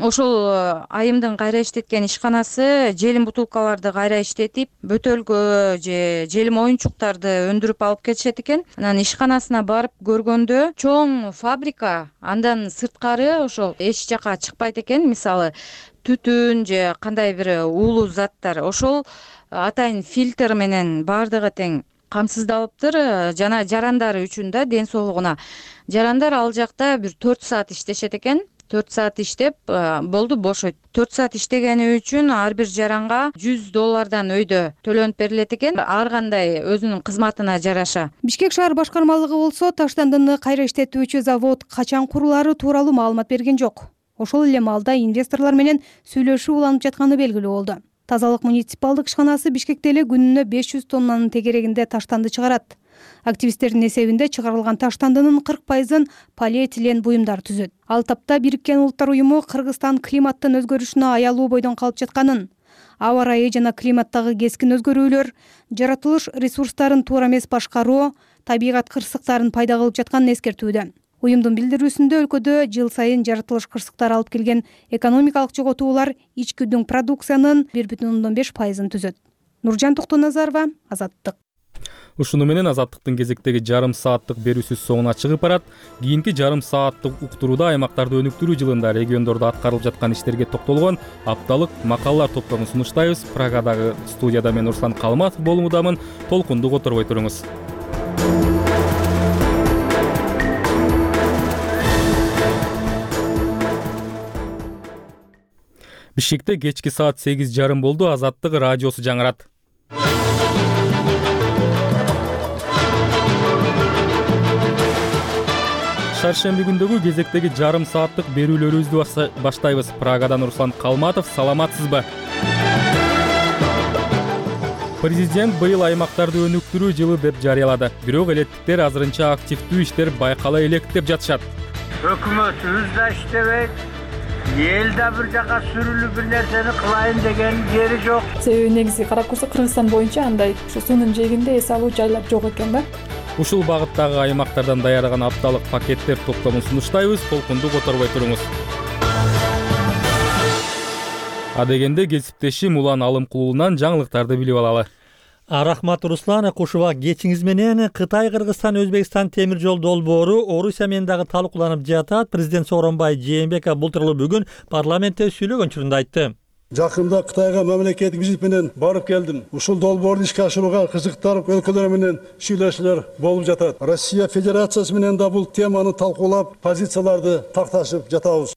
Ошол айымдын кайра иштеткен ишканасы желим бутулкаларды кайра иштетип, бөтөлкө же желим оюнчуктарды өндүрүп алып кетишет экен. Анан ишканасына барып көргөндө чоң фабрика, андан сырткары ошол эч жака чыкпайт экен. Мисалы, түтүн же кандай бир уулуу заттар. Ошол атайын фильтр менен бардыгы тең камсыздалыптыр жана жарандары үчүн да, ден соолугуна. Жарандар ал жакта бир 4 саат иштешет экен. 4 саат иштеп болду бошойт. 4 саат иштегени үчүн ар бир жаранга $100 өйдө төлөнүп берилет экен, ар кандай өзүнүн кызматына жараша. Бишкек шаар башкармалыгы болсо таштандыны кайра иштетүүчү завод качан курулары тууралуу маалымат берген жок. Ошол эле маалда инвесторлор менен сүйлөшүү уланып жатканы белгилүү болду. Тазалык муниципалдык ишканасы Бишкекте эле күнүнө 500 тоннанын тегерегинде таштанды чыгарат. Активисттердин эсебинде чыгарылган таштандынын 40%-ын полиэтилен буюмдар түзөт. Ал тапта Бириккен Улуттар уюму Кыргызстан климаттын өзгөрүшүнө аялуу бойдон калып жатканын, аба ырайы жана климаттагы кескин өзгөрүүлөр, жаратылыш ресурстарын туура эмес башкаруу, табигат кырсыктарын пайда кылып жатканын эскертүүдө. Уюмдун билдирүүсүндө өлкөдө жыл сайын жаратылыш кырсыктары алып келген экономикалык жоготуулар ички продукциянын 1,5%-ын түзөт. Нуржан Токтоназарова, Азаттык. Ушуну менен Азаттыктын кезектеги жарым сааттык берүүсү соңуна чыгып барат. Кийинки жарым сааттык уктурууда аймактарды өнүктүрүү жылында региондордо аткарылып жаткан иштерге токтолгон апталык макалалар топтомун сунуштайбыз. Прагадагы студияда мен Руслан Калматов болуудамын. Толкунду которбой туруңуз. Бишкекте кечки саат 8:30 болду. Азаттык радиосу жаңырат. Шаршемби күндөгү кезектеги жарым сааттык берүүлөрүбүздү баштайбыз. Прагадан Руслан Калматов, саламатсызбы? Президент быйыл аймактарды өнүктүрүү жылы деп жарыялады. Бирок элеттиктер азырынча активдүү иштер байкала элек деп жатышат. Өкмөтүбүз да иштебейт. Эл да бир жака сүрүлүп бир нерсени кылайын деген жери жок. Себеби негизи карап көрсөк Кыргызстан боюнча андай суунун жээгинде эс алуу жайлар жок экен да. Ушул багыттагы аймактардан даярдаган апталык пакеттер топтомун сунуштайбыз. Толкунду которбой туруңуз. Адегенде кесиптешим Улан Алымкулунан жаңылыктарды билип алалы. Рахмат Руслан, кушуба кечиңиз менен Кытай, Кыргызстан, Өзбекстан темир жол долбоору Орусия менен дагы талкууланып жатат. Президент Сооронбай Жээнбеков бул тууралуу бүгүн парламентте сүйлөгөн учурунда айтты. Жакында Кытайга мамлекеттик визит менен барып келдим. Ушул долбоорду ишке ашырууга кызыктар өлкөлөр менен сүйлөшүүлөр болуп жатат. Россия Федерациясы менен да бул теманы талкуулап, позицияларды такташып жатабыз.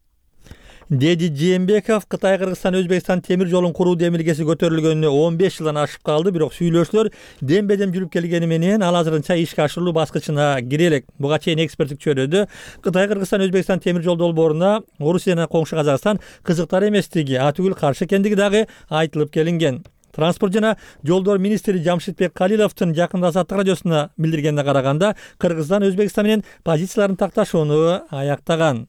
Деди Жээнбеков Кытай, Кыргызстан, Өзбекстан темир жолун куруу демилгеси көтөрүлгөнүнө 15 жылдан ашып калды, бирок сүйлөшүүлөр дембедем жүрүп келгени менен ал азырынча ишке ашырылуу баскычына кире элек. Буга чейин эксперттик чөйрөдө Кытай, Кыргызстан, Өзбекстан темир жол долбооруна Орусия жана коңшу Казакстан кызыктар эместиги, атүгүл каршы экендиги дагы айтылып келинген. Транспорт жана жолдор министри Жамшитбек Калиловдун жакында Азаттык радиосуна билдиргенине караганда, Кыргызстан Өзбекстан менен позицияларын такташууну аяктаган.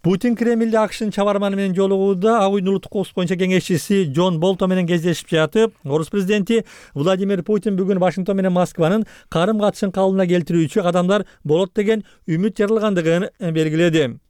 Путин Кремлде АКШнын чабарманы менен жолугууда ак үйдүн улуттук коопсуздук боюнча кеңешчиси Джон Болтон менен кездешип жатып, Орус президенти Владимир Путин бүгүн Вашингтон менен Москванын карым катышын калыбына келтирүүчү кадамдар болот деген үмүт жаралгандыгын белгиледи.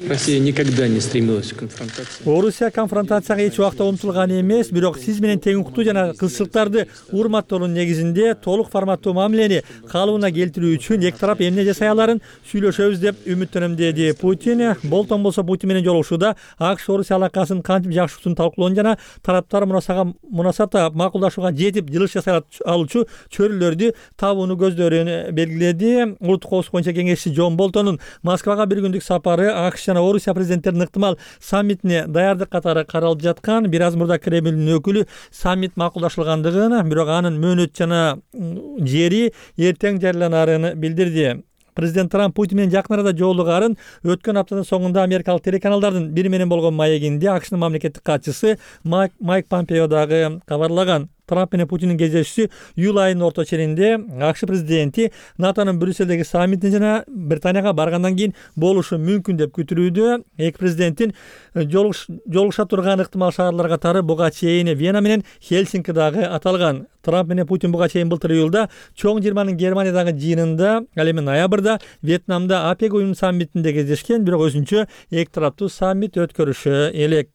Россия никогда не стремилась к конфронтации. Орусия конфронтацияга эч убакта умтулган эмес, бирок сиз менен тең укуктуу жана кызчылыктарды урматтоонун негизинде толук форматтуу мамилени калыбына келтирүү үчүн эки тарап эмне жасай аларын сүйлөшөбүз деп үмүттөнөм, деди Путин. Болтон болсо Путин менен жолугушууда АКШ Орусия алакасын кантип жакшыртууну талкуулоonu жана тараптар мунасабатта макулдашууга жетип жылыш жасай алуучу чөйрөлөрдү табууну көздөрүн белгиледи. Улуттук коопсуздук боюнча кеңешчи Джон Болтондун Москвага бир күндүк сапары АКШ жана Орусия президенттеринин ыктымал саммитине даярдык катары каралып жаткан. Бир аз мурда Кремлдин өкүлү саммит макулдашылгандыгын, бирок анын мөөнөт жана жери эртең жарыяланарын билдирди. Президент Трамп Путин менен жакын арада жолугарын өткөн аптанын соңунда америкалык телеканалдардын бири менен болгон маегинде АКШнын мамлекеттик катчысы Майк Помпео дагы кабарлаган. Трамп менен Путиндин кездешүүсү июль айынын орто ченинде АКШ президенти НАТОнун Брюссельдеги саммитине жана Британияга баргандан кийин болушу мүмкүн деп күтүлүүдө. Эки президенттин жолугуша турган ыктымал шаарлар катары буга чейин Вена менен Хельсинки дагы аталган. Трамп менен Путин буга чейин былтыр июлда чоң жыйырманын Германиядагы жыйынында, ал эми ноябрда Вьетнамда АПЕК уюмунун саммитинде кездешкен, бирок өзүнчө эки тараптуу саммит өткөрүшү элек.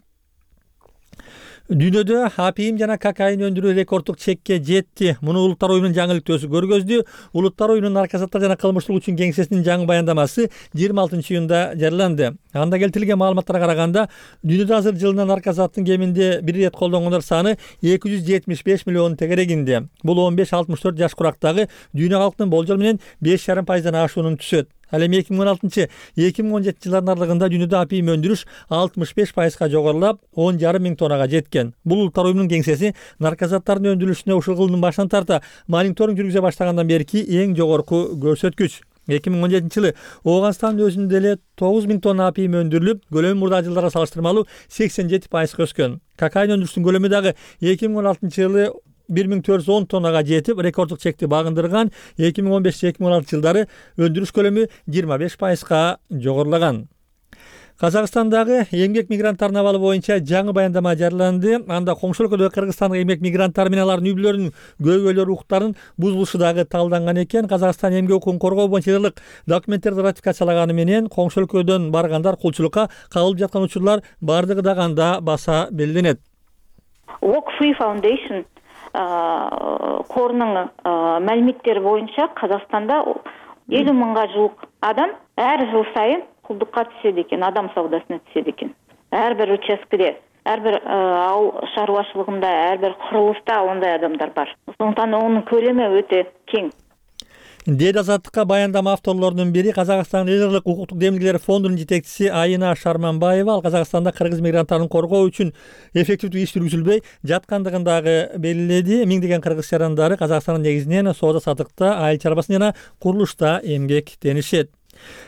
Дүйнөдө апиим жана кокаин өндүрүү рекордтук чекке жетти. Муну Улуттар уюмунун жаңы иликтөөсү көргөздү. Улуттар уюмунун наркотиктер жана кылмыштуулук үчүн кеңсесинин жаңы баяндамасы 26 июнда жарыяланды. Анда келтирилген маалыматтарга караганда, дүйнөдө азыр жылына наркотиктин кеминде бир ирет колдонгондор саны 275 миллион тегерегинде. Бул 15-64 жаш курактагы дүйнө калкынын болжол менен 5,5%дан ашуунун түсөт. Ал эми 2016-2017 жылдардын аралыгында дүйнөдө апийим өндүрүш 65%га жогорулап, 10,5 миң тоннага жеткен. Бул улуттар уюмунун кеңсеси наркозаттардын өндүрүлүшүнө ушул жылдын башынан тарта мониторинг жүргүзө баштагандан берки эң жогорку көрсөткүч. 2017 жылы Ооганстандын өзүндө эле 9 миң тонна апийим өндүрүлүп, көлөмү мурдагы жылдарга салыштырмалуу 87%га өскөн. Кокаин өндүрүшүнүн көлөмү дагы 2016 жылы 1410 тоннага жетип, рекорддук чекти багындырган. 2015-2016 жылдары өндүрүш көлөмү 25%га жогорулаган. Казакстандагы эмгек мигранттарынын абалы боюнча жаңы баяндама жарыяланды. Анда коңшу өлкөдөгү кыргызстандык эмгек мигранттары менен алардын үй-бүлөлөрүнүн көйгөйлөр укуктарын бузулушу дагы талданган экен. Казакстан эмгек укугун коргоо боюнча жылдык документтерди ратификациялаганы менен коңшу өлкөдөн баргандар кулчулукка кабылып жаткан учурлар бардыгы дагы анда баса белгиленет. Walk Free Foundation корунун маалиметтери боюнча Казакстанда 50 мыңга жук адам ар жыл сайын кулдукка түшөт экен, адам саудасына түшөт экен. Ар бир участкеде, ар бир ауыл шаруашылыгында, ар бир курулушта ондай адамдар бар. Ошондуктан онун көлөмү өтө кең. Дээд азаттыкка баяндама авторлорунун бири Казакстан лидерлик укуктук демилгелер фондунун жетекчиси Айына Шарманбаева. Ал Казакстанда кыргыз мигранттарын коргоо үчүн эффективдүү иш жүргүзүлбөй жаткандыгын дагы белгиледи. Миңдеген кыргыз жарандары Казакстандын негизинен соода саттыкта, айыл чарбасында жана курулушта эмгектенишет.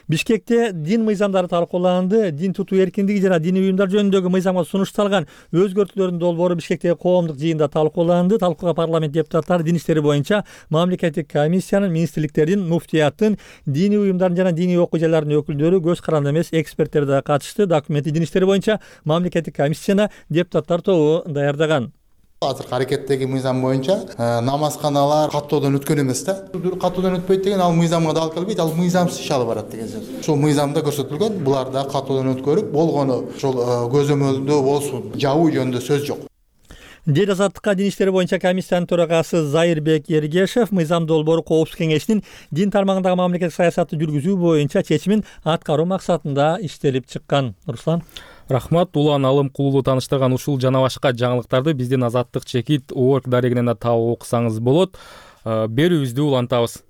Бишкекте дин мыйзамдары талкууланды. Дин тутуу эркиндиги жана диний уюмдар жөнүндөгү мыйзамга сунушталган өзгөртүүлөрдүн долбоору Бишкектеги коомдук жыйында талкууланды. Талкууга парламент депутаттары дин иштери боюнча мамлекеттик комиссиянын, министрликтердин, муфтияттын, диний уюмдардын жана диний окуу жайлардын өкүлдөрү, көз каранды эмес эксперттер да катышты. Документти дин иштери боюнча мамлекеттик комиссияны депутаттар тобу даярдаган. Азыркы аракеттеги мыйзам боюнча намазканалар каттоодон өткөн эмес да. Каттоодон өтпөйт деген ал мыйзамга да алып келбейт, ал мыйзамсыз иш алып барат деген сөз. Ошол мыйзамда көрсөтүлгөн, булар да каттоодон өткөрүп болгону ошол көзөмөлдөө болсун, жабуу жөнүндө сөз жок. Дээд азаттыкка дин иштери боюнча комиссиянын төрагасы Зайырбек Ергешев мыйзам долбоору Коопсуздук кеңешинин дин тармагындагы мамлекеттик саясатты жүргүзүү боюнча чечимин аткаруу максатында иштелип чыккан. Руслан. Рахмат. Улан Алым Кулулу тааныштырган ушул жана башка жаңылыктарды биздин Азаттык чекит орг дарегинен да таап окусаңыз болот. Берүүбүздү улантабыз.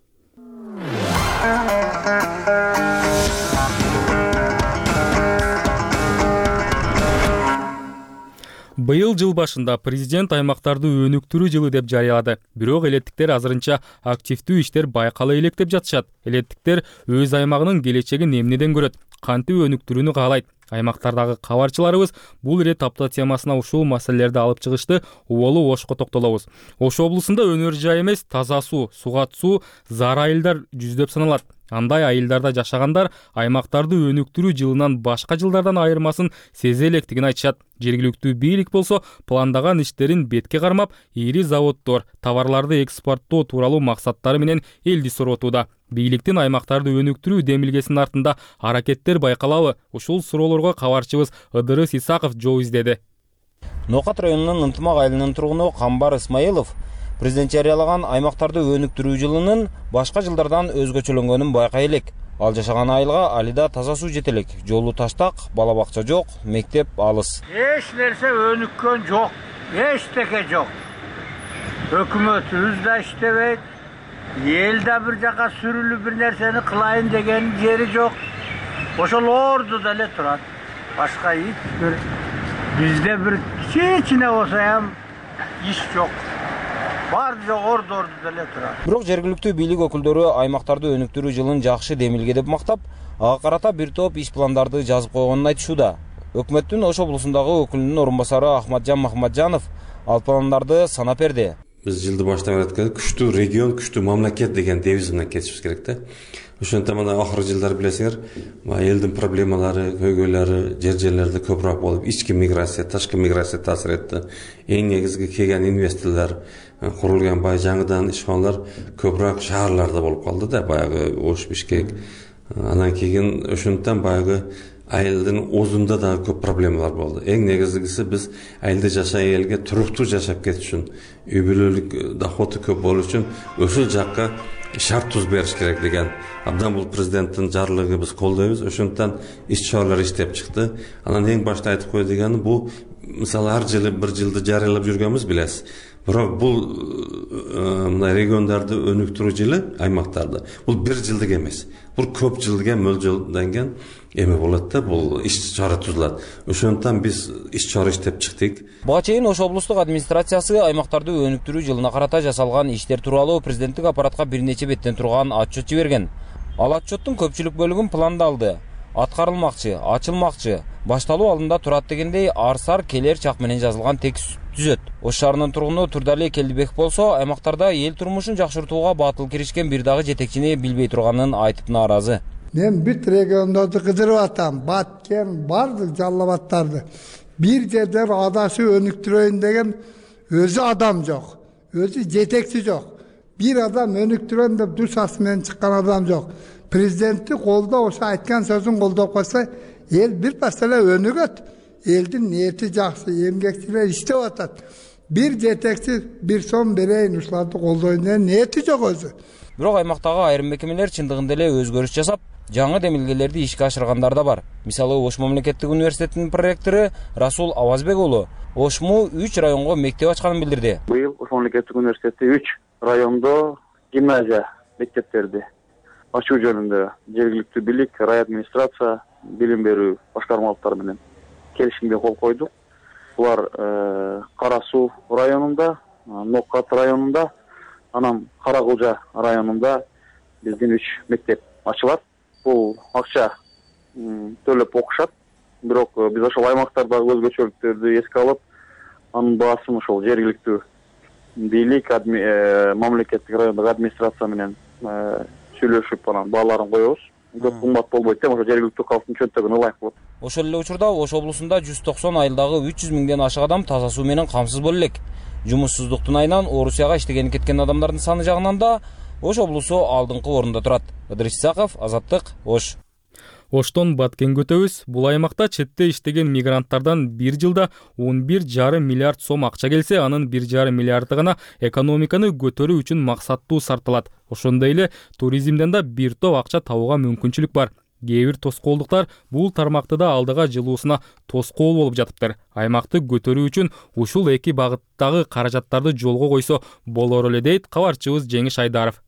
Быйыл жыл башында президент аймактарды өнүктүрүү жылы деп жарыялады. Бирок элеттиктер азырынча активдүү иштер байкала элек деп жатышат. Элеттиктер өз аймагынын келечегин эмнеден көрөт, кантип өнүктүрүүнү каалайт? Аймактардагы кабарчыларыбыз бул ирет апта темасына ушул маселелерди алып чыгышты. Уболу Ошко токтолобуз. Ош облусунда өнөр жай эмес, таза суу, сугат суу зар айылдар жүздөп саналат. Андай айылдарда жашагандар аймактарды өнүктүрүү жылынан башка жылдардан айырмасын сезе электигин айтышат. Жергиликтүү бийлик болсо пландаган иштерин бетке кармап, ири заводдор товарларды экспорттоо тууралуу максаттары менен элди суротууда. Бийликтин аймактарды өнүктүрүү демилгесинин артында аракеттер байкалабы? Ушул суроолорго кабарчыбыз Ыдырыс Исаков жооп издеди. Нокат районунун Ынтымак айылынын тургуну Камбар Исмаилов президент жарыялаган аймактарды өнүктүрүү жылынын башка жылдардан өзгөчөлөнгөнүн байкай элек. Ал жашаган айылга алида таза суу жете элек. Жолу таштак, бала бакча жок, мектеп алыс. Эч нерсе өнүккөн жок, эчтеке жок. Өкмөтүбүз да иштебейт. Эл да бир жака сүрүлүп бир нерсени кылайын деген жери жок. Ошол ордуда эле турат. Башка эч бир бизде бир кичине болсо ham иш жок. Бар жок, ордуда эле турат. Бирок жергиликтүү бийлик өкүлдөрү аймактарды өнүктүрүү жылын жакшы демилге деп мактап, ага карата бир топ иш пландарды жазып койгонун айтышууда. Өкмөттүн Ош облусундагы өкүлүнүн орун басары Ахматжан Махматжанов ал пландарды санап берди. Биз жылды баштап жатканда күчтүү регион, күчтүү мамлекет деген девиз менен кетишибиз керек да. Ошондон мына акыркы жылдар билесиңер, элдин проблемалары, көйгөйлөрү жер-жерлерде көбүрөөк болуп, ички миграция, тышкы миграция таасир этти. Эң негизги келген инвесторлор, курулган бай жаңыдан ишканалар көбүрөөк шаарларда болуп калды да, баягы Ош, Бишкек. Анан кийин ошондон баягы айылдын озунда да көп проблемалар болду. Эң негизгиси биз айылда жашай элге туруктуу жашап кетиш үчүн, үй бүлөлүк доходу көп болуу үчүн ошол жакка шарт туз бериш керек деген. Абдан бул президенттин жарлыгы биз колдойбуз. Ошондон иш чаралар иштеп чыкты. Анан эң башта айтып кой дегени бул мисалы ар жылы бир жылды жарыялап жүргөнбүз билесиз. Бирок бул мына региондарды өнүктүрүү жылы аймактарды бул бир жылдык эмес. Бул көп жылга мөлжөлдөнгөн эме болот да, бул иш чара тузулат. Ошондуктан биз иш чара иштеп чыктык. Буга чейин Ош облустук администрациясы аймактарды өнүктүрүү жылына карата жасалган иштер тууралуу президенттик аппаратка бир нече беттен турган отчет жиберген. Ал отчеттин көпчүлүк бөлүгүн пландалды, аткарылмакчы, ачылмакчы, башталуу алдында турат дегендей арсар келер чак менен жазылган текст түзөт. Ош шаарынын тургуну Турдали Келдибек болсо, аймактарда эл турмушун жакшыртууга батыл киришкен бир дагы жетекчини билбей турганын айтып нааразы. Мен бүт региондорду кыдырып атам, Баткен, бардык Жалал Абадтарды. Бир жерден адашы өнүктүрөйүн деген өзү адам жок, өзү жетекчи жок. Бир адам өнүктүрөм деп душасы менен чыккан адам жок. Президенtti колдоп ошо айткан сөзүн колдоп койсо, эл бир пас эле өнүгөт. Элдин ниети жакшы, эмгекчилер иштеп атат. Бир жетекчи бир сом берейин, ушуларды колдойн деген ниети жок өзү. Бирок аймактагы айрым мекемелер чындыгында эле өзгөрүш жасап, жаңы демилгелерди ишке ашыргандар да бар. Мисалы Ош мамлекеттик университетинин проректору Расул Авазбек уулу Ошму 3 районго мектеп ачканын билдирди. Быйыл Ош мамлекеттик университети 3 райондо гимназия мектептерди ачуу жөнүндө жергиликтүү бийлик, рай администрация, билим берүү башкармалыктары менен келишимге кол койдук. Булар Кара Суу районунда, Ноккат районунда, анан Каракылжа районунда биздин 3 мектеп ачылат. Бул акча төлөп окушат. Бирок биз ошол аймактардагы өзгөчөлүктөрдү эске алып, анын баасын ошол жергиликтүү бийлик, мамлекеттик райондогу администрация менен сүйлөшүп анан бааларын коебуз. Көп кымбат болбойт деп, ошо жергиликтүү калктын чөнтөгүн ылайык болот. Ошол эле учурда Ош облусунда 190 айылдагы 300 миңден ашык адам таза суу менен камсыз боло элек. Жумуссуздуктун айынан Орусияга иштегени кеткен адамдардын саны жагынан да Ош облусу алдыңкы орунда турат. Ыдырыс Исаков, Азаттык, Ош. Оштон Баткенге өтөбүз. Бул аймакта четте иштеген мигранттардан бир жылда 11,5 миллиард сом акча келсе, анын 1,5 миллиарды гана экономиканы көтөрүү үчүн максаттуу сарпталат. Ошондой эле туризмден да бир топ акча табууга мүмкүнчүлүк бар. Кээ бир тоскоолдуктар бул тармакты да алдыга жылуусуна тоскоол болуп жатыптыр. Аймакты көтөрүү үчүн ушул эки багыттагы каражаттарды жолго койсо болор эле дейт кабарчыбыз Жеңиш Айдаров.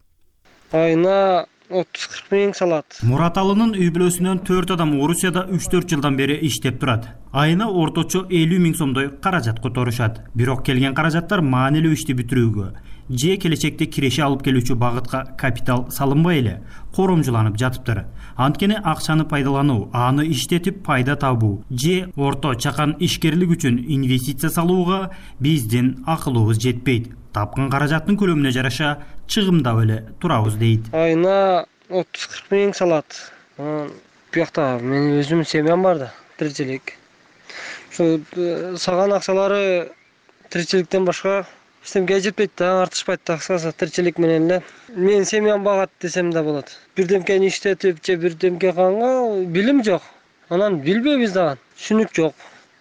Айына 30-40 миң салат. Мураталынын үй бүлөсүнөн 4 адам Орусияда 3-4 жылдан бери иштеп турат. Айына орточо 50 миң сомдой каражат которушат. Бирок келген каражаттар маанилүү ишти бүтүрүүгө же келечекте киреше алып келүүчү багытка капитал салынбай эле коромжуланып жатыптыр. Анткени акчаны пайдалануу, аны иштетип пайда табуу же орто чакан ишкерлик үчүн инвестиция салууга биздин акылыбыз жетпейт. Тапкан каражаттын көлөмүнө жараша чыгымдап эле турабыз дейт. Айына 30-40 миң салат. Буякта менин өзүмдүн семьям бар да, тиричилик. Ошо салган акчалары тиричиликтен башка эчтемеге жетпейт да, артышпайт да, кыскасы тиричилик менен эле. Менин семьям багат десем да болот. Бирдемкени иштетип же бирдемке кылганга билим жок. Анан билбейбиз дагы, түшүнүк жок.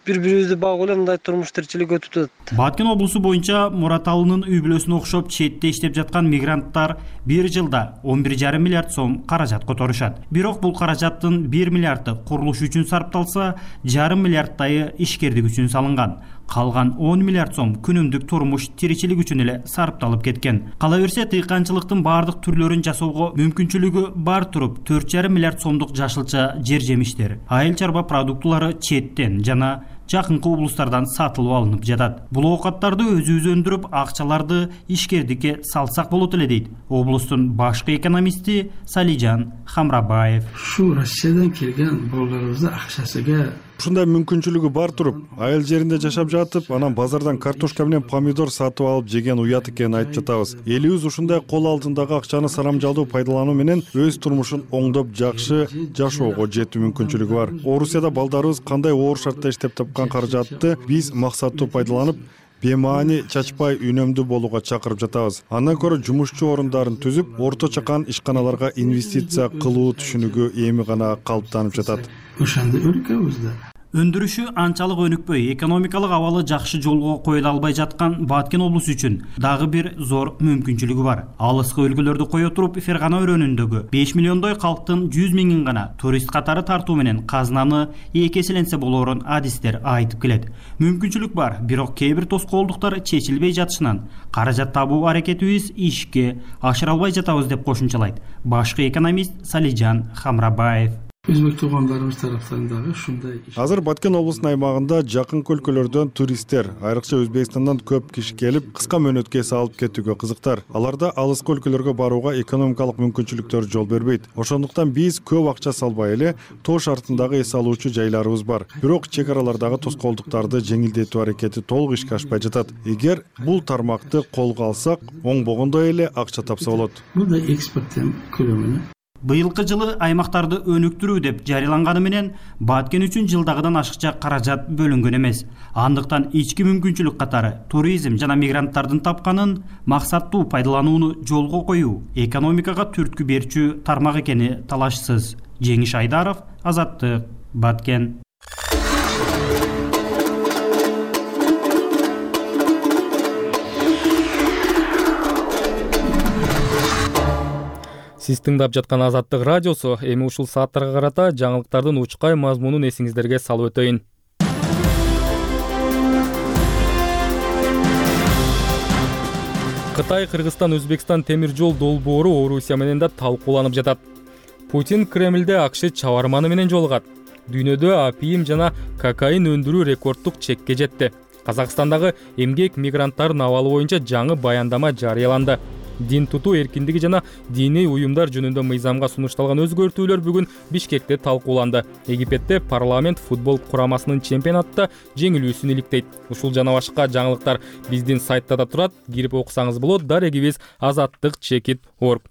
Бири-бирибизди багып эле мындай турмуш тиричилик өтүп атат. Баткен облусу боюнча Мураталынын үй бүлөсүнө окшоп четте иштеп жаткан мигранттар бир жылда 11,5 миллиард сом каражат которушат. Бирок бул каражаттын 1 миллиарды курулуш үчүн сарпталса, 1,5 миллиардтайы ишкердик үчүн салынган. Калган 10 миллиард сом күнүмдүк турмуш тиричилик үчүн эле сарпталып кеткен. Кала берсе, тыйканчылыктын баардык түрлөрүн жасоого мүмкүнчүлүгү бар туруп 4,5 миллиард сомдук жашылча жер жемиштер, айыл чарба продуктулары четтен жана жакынкы облустардан сатылып алынып жатат. Бул оокаттарды өзүбүз өндүрүп, акчаларды ишкердикке салсак болот эле дейт облустун башкы экономисти Салижан Хамрабаев. Ушу Россиядан келген балдарыбызды акчасыга ушундай мүмкүнчүлүгү бар туруп, айыл жеринде жашап жатып, анан базардан картошка менен помидор сатып алып жеген уят экенин айтып жатабыз. Элибиз ушундай кол алдындагы акчаны сарамжалдуу пайдалануу менен өз турмушун оңдоп жакшы жашоого жетүү мүмкүнчүлүгү бар. Орусияда балдарыбыз кандай оор шартта иштеп тапкан каражатты биз максаттуу пайдаланып, бемаани чачпай үнөмдүү болууга чакырып жатабыз. Андан көрө жумушчу орундарын түзүп, орто чакан ишканаларга инвестиция кылуу түшүнүгү эми гана калыптанып жатат. Ошондой өлкөбүздө Өндүрүшү анчалык өнүкпөй, экономикалык абалы жакшы жолго коюла албай жаткан Баткен облусу үчүн дагы бир зор мүмкүнчүлүгү бар. Алыскы өлкөлөрдү кое туруп, Фергана өрөөнүндөгү 5 миллиондой калктын 100 миңин гана турист катары тартуу менен казынаны эки эселенсе болоорун адистер айтып келет. Мүмкүнчүлүк бар, бирок кээ бир тоскоолдуктар чечилбей жатышынан каражат табуу аракетибиз ишке ашыра албай жатабыз деп кошумчалайт башкы экономист Салижан Хамрабаев. Өзбек туугандарыбыз тараптан дагы ушундай. Азыр Баткен облусунун аймагында жакынкы өлкөлөрдөн туристтер, айрыкча Өзбекстандан көп киши келип, кыска мөөнөткө эс алып кетүүгө кызыктар. Аларда алыскы өлкөлөргө барууга экономикалык мүмкүнчүлүктөр жол бербейт. Ошондуктан биз көп акча салбай эле тоо шартындагы эс алуучу жайларыбыз бар. Бирок чек аралардагы тоскоолдуктарды жеңилдетүү аракети толук ишке ашпай жатат. Эгер бул тармакты колго алсак, оңбогондой эле акча тапса болот. Бул да экспорттун көлөмүнө. Быйылкы жылы аймактарды өнүктүрүү деп жарыяланганы менен Баткен үчүн жылдагыдан ашыкча каражат бөлүнгөн эмес. Андыктан ички мүмкүнчүлүк катары туризм жана мигранттардын тапканын максаттуу пайдаланууну жолго коюу экономикага түрткү берчү тармак экени талашсыз. Жеңиш Айдаров, Азаттык, Баткен. Сиз тыңдап жаткан Азаттык радиосу. Эми ушул сааттарга карата жаңылыктардын учкай мазмунун эсиңиздерге салып өтөйүн. Кытай, Кыргызстан, Өзбекстан темир жол долбоору Орусия менен да талкууланып жатат. Путин Кремлде АКШ чабарманы менен жолугат. Дүйнөдө апиим жана кокаин өндүрүү рекордтук чекке жетти. Казакстандагы эмгек мигранттардын абалы боюнча жаңы баяндама жарыяланды. Дин тутуу эркиндиги жана диний уюмдар жөнүндө мыйзамга сунушталган өзгөртүүлөр бүгүн Бишкекте талкууланды. Египетте парламент футбол курамасынын чемпионатта жеңилүүсүн иликтейт. Ушул жана башка жаңылыктар биздин сайтта да турат. Кирип окусаңыз болот. Дарегибиз azattik.org.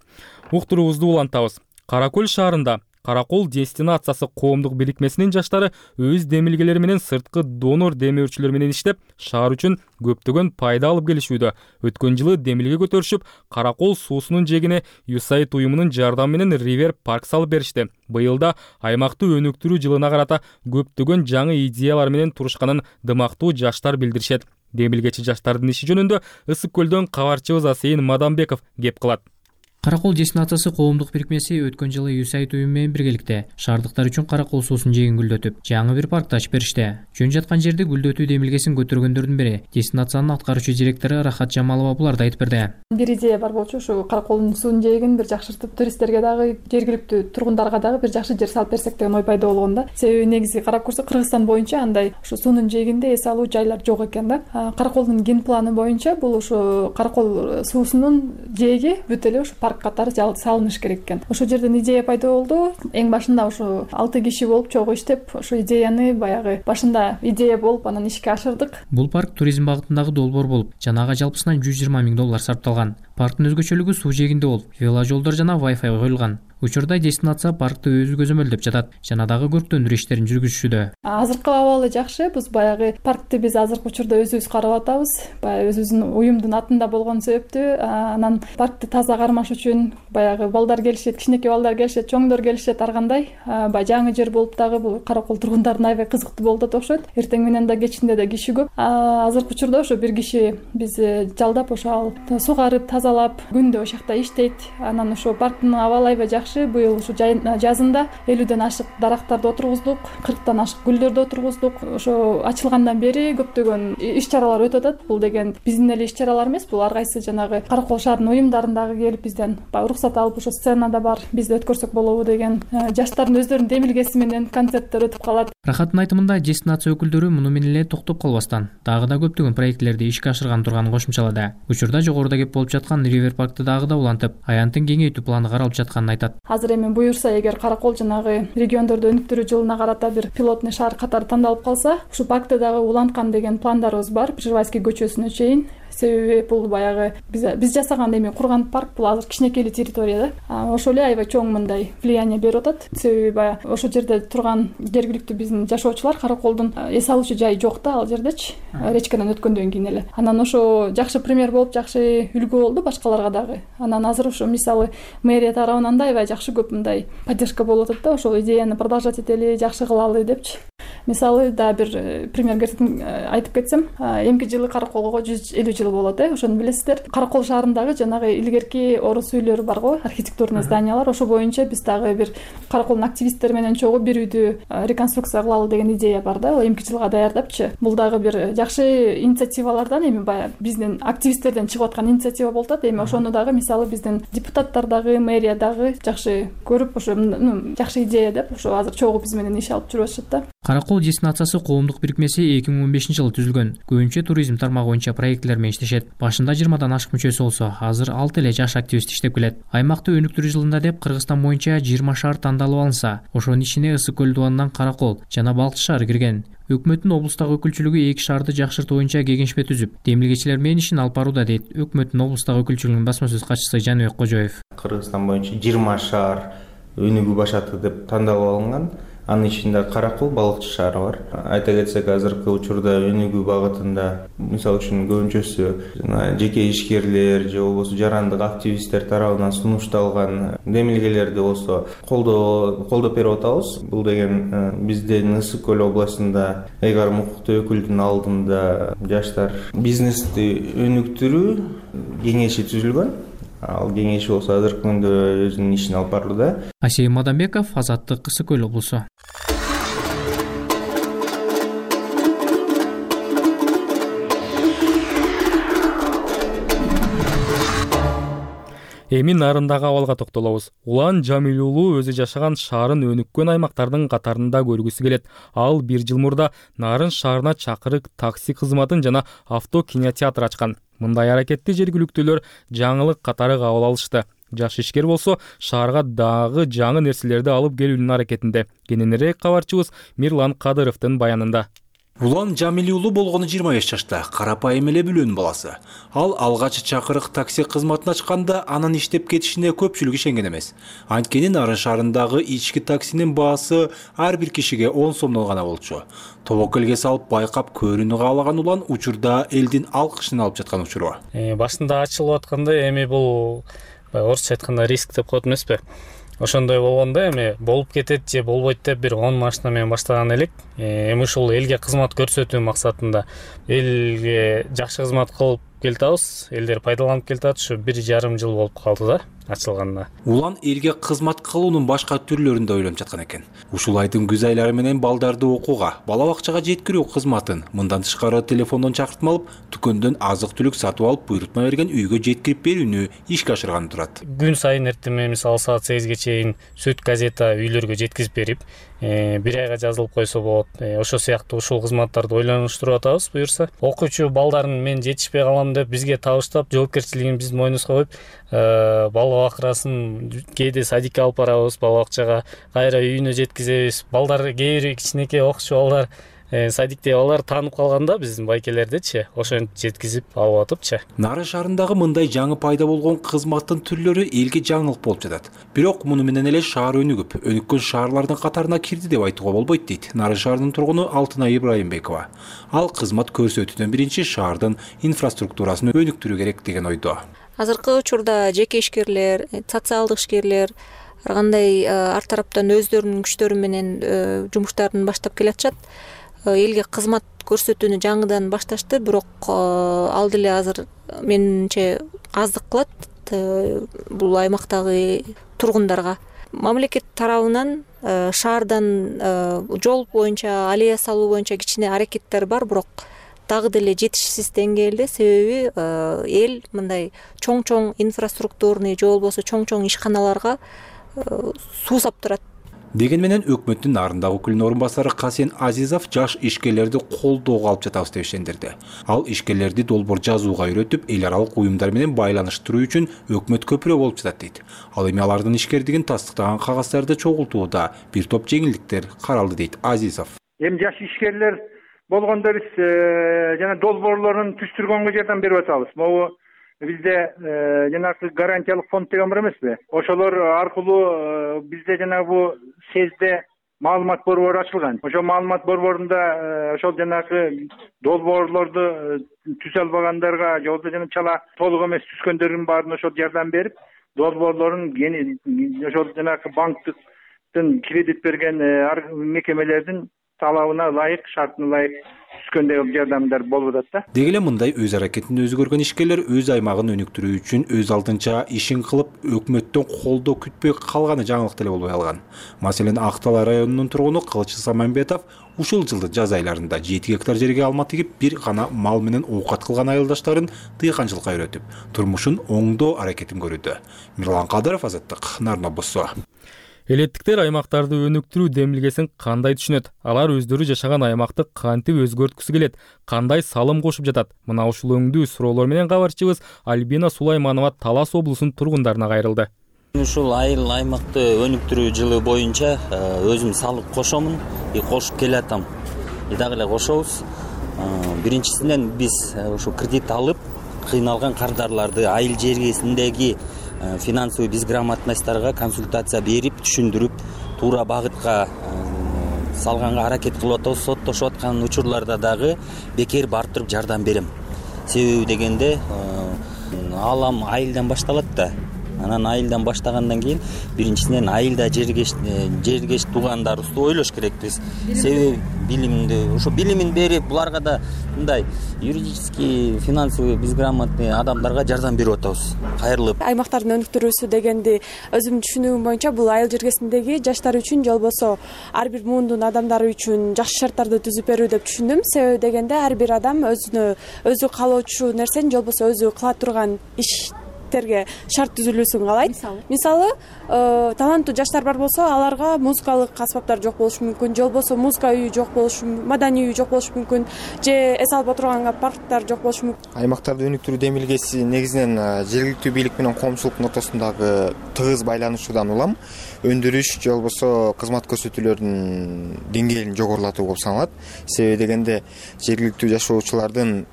Уктуруубузду улантабыз. Каракөл шаарында Каракол дестинациясы коомдук бирикмесинин жаштары өз демилгелери менен сырткы донор демөөрчүлөр менен иштеп, шаар үчүн көптөгөн пайда алып келишүүдө. Өткөн жылы демилге көтөрүшүп, Каракол суусунун жегине USAID уюмунун жардамы менен River Park салып беришти. Быйыл да аймакты өнүктүрүү жылына карата көптөгөн жаңы идеялар менен турушканын дымактуу жаштар билдиришет. Демилгечи жаштардын иши жөнүндө Ысык Көлдөн кабарчыбыз Асейин Мадамбеков кеп кылат. Каракол дестинациясы коомдук бирикмеси өткөн жылы USAID уюму менен биргеликте шаардыктар үчүн Каракол суусунун жээгин гүлдөтүп, жаңы бир паркты ачып беришти. Жөн жаткан жерде гүлдөтүү демилгесин көтөргөндөрдүн бири дестинациянын аткаруучу директору Рахат Жамалова буларды айтып берди. Бир идея бар болчу, ушу Караколдун суунун жээгин бир жакшыртып, туристтерге дагы, жергиликтүү тургундарга дагы бир жакшы жер салып берсек деген ой пайда болгон да. Себеби негизи карап көрсөк, Кыргызстан боюнча андай ушу суунун жээгинде эс алуу жайлар жок экен да. Караколдун ген планы боюнча бул ушу Каракол суусунун жээги бүт эле ушу парк катары салыныш керек экен. Ошол жерден идея пайда болду. Эң башында ушу 6 киши болуп чогуу иштеп, ошо идеяны баягы башында идея болуп, анан ишке ашырдык. Бул парк туризм багытындагы долбоор болуп, жанагы жалпысынан $120 миң сарпталган. Парктын өзгөчөлүгү суу жээгинде болуп, веложолдор жана Wi-Fi коюлган. Учурда дестинация паркты өзү көзөмөлдөп жатат жана дагы көрктөндүрүү иштерин жүргүзүшүүдө. Азыркы абалы жакшы. Биз баягы паркты биз азыркы учурда өзүбүз карап атабыз. Баягы өзүбүздүн уюмдун атында болгон себептүү, анан паркты таза кармаш үчүн баягы балдар келишет, кичинекей балдар келишет, чоңдор келишет, ар кандай. Баягы жаңы жер болуп дагы бул Каракол тургундарына аябай кызыктуу болуп атат окшойт. Эртең менен да кечинде да киши көп. Азыркы учурда ошо бир киши биз жалдап, ошо сугарып, тазалап, күндө ошол жакта иштейт. Анан ошо парктын абалы аябай жакшы. Быйыл ушу жазында 50ден ашык дарактарды отургуздук, 40тан ашык гүлдөрдү отургуздук. Ошо ачылгандан бери көптөгөн иш-чаралар өтүп атат. Бул деген биздин эле иш-чаралар эмес, бул ар кайсы жанагы Каракол шаарынын уюмдарындагы келип бизден уруксат алып, ошо сценада бар, бизде өткөрсөк болобу деген жаштардын өздөрүнүн демилгеси менен концерттер өтүп калат. Рахаттын айтымында дестинация өкүлдөрү муну менен эле токтоп калбастан, дагы да көптөгөн проектлерди ишке ашырган турганын кошумчалады. Учурда жогоруда кеп болуп жаткан River Parkты дагы да улантып, аянтын кеңейтүү планы каралып жатканын айтат. Азыр эми буюрса, эгер Каракол жанагы региондорду өнүктүрүү жылына карата бир пилотный шаар катары тандалып калса, ушу паркты дагы уланткан деген пландарыбыз бар, Пржевальский көчөсүнө чейин. Себеби бул баягы биз жасаган эми курган парк, бул азыр кичинекей территория да. Ошол эле аябай чоң мындай влияние берип атат. Себеби баягы ошол жерде турган жергиликтүү биздин жашоочулар Караколдун эс алуучу жайы жок да, ал жердечи, речкадан өткөндөн кийин эле. Анан ошо жакшы пример болуп, жакшы үлгү болду башкаларга дагы. Анан азыр ошо мисалы мэрия тарабынан да аябай жакшы көп мындай поддержка болуп атат да, ошол идеяны продолжать этели, жакшы кылалы депчи. Мисалы дагы бир пример айтып кетсем, эмки жылы Караколго 150 жыл болот, ошону билесиздер. Каракол шаарындагы жанагы илгерки орус үйлөрү барго, архитектурный зданиялар, ошо боюнча биз дагы бир Караколдун активисттери менен чогуу бир үйдү реконструкция кылалы деген идея бар да, эмки жылга даярдапчы. Бул дагы бир жакшы инициативалардан, эми баягы биздин активисттерден чыгып аткан инициатива болуп атат. Эми ошону дагы мисалы биздин депутаттар дагы, мэрия дагы жакшы көрүп, ошо жакшы идея деп ошо азыр чогуу биз менен иш алып жүрүп атышат да. Каракол дестинациясы коомдук бирикмеси 2015 жылы түзүлгөн. Көбүнчө туризм тармагы боюнча проекттер менен иштешет. Башында 20дан ашык мүчөсү болсо, азыр 6 эле жаш активист иштеп келет. Аймакты өнүктүрүү жылында деп Кыргызстан боюнча 20 шаар тандалып алынса, ошонун ичине Ысык көл дубанынан Каракол жана Балкчы шаары кирген. Өкмөттүн облустагы өкүлчүлүгү 2 шаарды жакшыртуу боюнча кеңешме түзүп, демилгечилер менен ишин алып барууда дейт өкмөттүн облустагы өкүлчүлүгүнүн басма сөз катчысы Жаныбек Кожоев. Кыргызстан боюнча 20 шаар өнүгүү башаты деп тандалып алынган. Анын ичинде Каракол, Балыкчы шаары бар. Айта кетсек, азыркы учурда өнүгүү багытында, мисалы үчүн көбүнчөсү жеке ишкерлер же болбосо жарандык активисттер тарабынан сунушталган демилгелерди болсо колдоп берип атабыз. Бул деген биздин Ысык көл областында ыйгарым укуктуу өкүлдүн алдында жаштар бизнести өнүктүрүү кеңеши түзүлгөн. Ал кеңеш болсо азыркы күндө өзүнүн ишин алып барууда. Асей Мадамбеков, Азаттык, Ысык көл облусу. Эми нарындагы абалга токтолобуз. Улан Жамил уулу өзү жашаган шаарын өнүккөн аймактардын катарында көргүсү келет. Ал 1 жыл мурда Нарын шаарына чакырык такси кызматын жана авто кинотеатр ачкан. Мындай аракетти жергиликтүүлөр жаңылык катары кабыл алышты. Жаш ишкер болсо шаарга дагы жаңы нерселерди алып келүүнүн аракетинде. Кененирээк кабарчыбыз Мирлан Кадыровдун баянында. Улан Жамил уулу болгону 25 жашта, карапайым эле бүлөнүн баласы. Ал алгач чакырык такси кызматын ачканда анын иштеп кетишине көпчүлүк ишенген эмес. Анткени Нарын шаарындагы ички таксинин баасы ар бир кишиге 10 сомдон гана болчу. Тобокелге салып байкап көрүүнү каалаган Улан учурда элдин алкышын алып жаткан учуру. Башында ачылып атканда эми бул орусча айтканда риск деп коет эмеспи? Ошондой болгондо эми болуп кетет же болбойт деп бир 10 машина менен баштаган элек. Эми ушул элге кызмат көрсөтүү максатында элге жакшы кызмат кылып келатабыз. Элдер пайдаланып келатат. Ушу 1,5 жыл болуп калды да ачылганына. Улан элге кызмат кылуунун башка түрлөрүн да ойлонуп жаткан экен. Ушул айдын күз айлары менен балдарды окууга, бала бакчага жеткирүү кызматын мындан тышкары телефондон чакыртма алып, дүкөндөн азык-түлүк сатып алып, буйрутма берген үйгө жеткирип берүүнү ишке ашырганы турат. Күн сайын эртеме мисалы саат 8ге чейин сүт газета үйлөргө жеткизип берип, 1 айга жазылып койсо болот. Ошо сыяктуу ушул кызматтарды ойлонуштуруп атабыз буюрса. Окуучу балдарын мен жетишпей калам деп бизге табыштап, жоопкерчилигин биздин мойнубузга коюп, бала бакырасын кээде садикке алып барабыз, бала бакчага, кайра үйүнө жеткизебиз. Балдар кээ бир кичинекей окуучу балдар, садикте балдар таанып калганда биздин байкелердичи, ошентип жеткизип алып атыпчы. Нарын шаарындагы мындай жаңы пайда болгон кызматтын түрлөрү элге жаңылык болуп жатат. Бирок муну менен эле шаар өнүккөн шаарлардын катарына кирди деп айтууга болбойт дейт Нарын шаарынын тургуну Алтынай Ибраимбекова. Ал кызмат көрсөтүүдөн биринчи шаардын инфраструктурасын өнүктүрүү керек деген ойдо. Азыркы учурда жеке ишкерлер, социалдык ишкерлер ар кандай ар тараптан өздөрүнүн күчтөрү менен жумуштарын баштап келатышат. Элге кызмат көрсөтүүнү жаңыдан башташты, бирок ал деле азыр менимче аздык кылат бул аймактагы тургундарга. Мамлекет тарабынан шаардан жол боюнча, аллея салуу боюнча кичине аракеттер бар, бирок дагы деле жетишсиз деңгээлде, себеби эл мындай чоң-чоң инфраструктурный же болбосо чоң-чоң ишканаларга суусап турат. Деген менен өкмөттүн Нарындагы өкүлүнүн орун басары Касен Азизов жаш ишкерлерди колдоого алып жатабыз деп ишендирди. Ал ишкерлерди долбоор жазууга үйрөтүп, эл аралык уюмдар менен байланыштыруу үчүн өкмөт көпүрө болуп жатат дейт. Ал эми алардын ишкердигин тастыктаган кагаздарды чогултууда бир топ жеңилдиктер каралды дейт Азизов. Эми жаш ишкерлер болгондо биз жана долбоорлорун түзүштүргөнгө жардам берип атабыз. Могу бизде жанагы гарантиялык фонд деген бар эмеспи? Ошолор аркылуу бизде жанагы бу сезде маалымат борбору ачылган. Ошол маалымат борборунда ошол жанагы долбоорлорду түзө албагандарга же болбосо жана чала толук эмес түзгөндөрдүн баарына ошол жардам берип, долбоорлорун ошол жанагы банктын кредит берген мекемелердин талабына ылайык, шартына ылайык түшкөндөгү жардамдар болуп атат да. Деги эле мындай өз аракетин өзү көргөн ишкерлер өз аймагын өнүктүрүү үчүн өз алдынча ишин кылып, өкмөттөн колдоо күтпөй калганы жаңылык деле болбой калган. Маселен, Ак Талай районунун тургуну Кылыч Самамбетов ушул жылдын жаз айларында 7 гектар жерге алма тигип, бир гана мал менен оокат кылган айылдаштарын дыйканчылыкка үйрөтүп, турмушун оңдоо аракетин көрүүдө. Мирлан Кадыров, Азаттык, Нарын облусу. Элеттиктер аймактарды өнүктүрүү демилгесин кандай түшүнөт? Алар өздөрү жашаган аймакты кантип өзгөрткүсү келет? Кандай салым кошуп жатат? Мына ушул өңдүү суроолор менен кабарчыбыз Альбина Сулайманова Талас облусунун тургундарына кайрылды. Ушул айыл аймакты өнүктүрүү жылы боюнча өзүм салым кошомун, кошуп келатам. Дагы эле кошобуз. Биринчисинен биз ушу кредит алып, кыйналган кардарларды айыл жергесиндеги финансовый безграмотностьтарга консультация берип, түшүндүрүп, туура багытка салганга аракет кылып атабыз. Соттошуп аткан учурларда дагы бекер барып туруп жардам берем. Себеби дегенде алам айылдан башталат да. Анан айылдан баштагандан кийин биринчисинен айылда жергеш туугандарыбызды ойлош керекпиз. Себеби билимин берип, буларга да мындай юридический, финансовый безграмотный адамдарга жардам берип атабыз. Кайрылып. Аймактардын өнүктүрүүсү дегенди өзүмдүн түшүнүгүм боюнча бул айыл жергесиндеги жаштар үчүн, же болбосо ар бир муундун адамдары үчүн жакшы шарттарды түзүп берүү деп түшүндүм. Себеби дегенде ар бир адам өзү каалоочу нерсени, же болбосо өзү кыла турган иштерге шарт түзүлүүсүн каалайт. Мисалы, таланттуу жаштар бар болсо, аларга музыкалык аспаптар жок болушу мүмкүн, же болбосо музыка үйү жок болушу, маданий үй жок болушу мүмкүн, же эс алып отурганга парктар жок болушу мүмкүн. Аймактарды өнүктүрүү демилгеси негизинен жергиликтүү бийлик менен коомчулуктун ортосундагы тыгыз байланышуудан улам өндүрүш, же болбосо кызмат көрсөтүүлөрдүн деңгээлин жогорулатуу болуп саналат. Себеби дегенде жергиликтүү жашоочулардын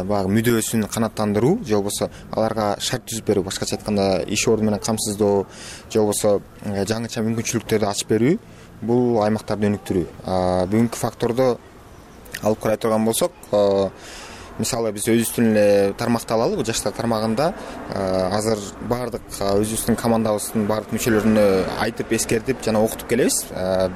баягы мүдөөсүн канааттандыруу, же болбосо аларга шарт түзүп берүү, башкача айтканда иш орду менен камсыздоо, же болбосо жаңыча мүмкүнчүлүктөрдү ачып берүү, бул аймактарды өнүктүрүү. Бүгүнкү фактордо алып карай турган болсок, мисалы биз өзүбүздүн эле тармакты алалы, бул жаштар тармагында азыр баардык өзүбүздүн командабыздын баардык мүчөлөрүнө айтып, эскертип жана окутуп келебиз.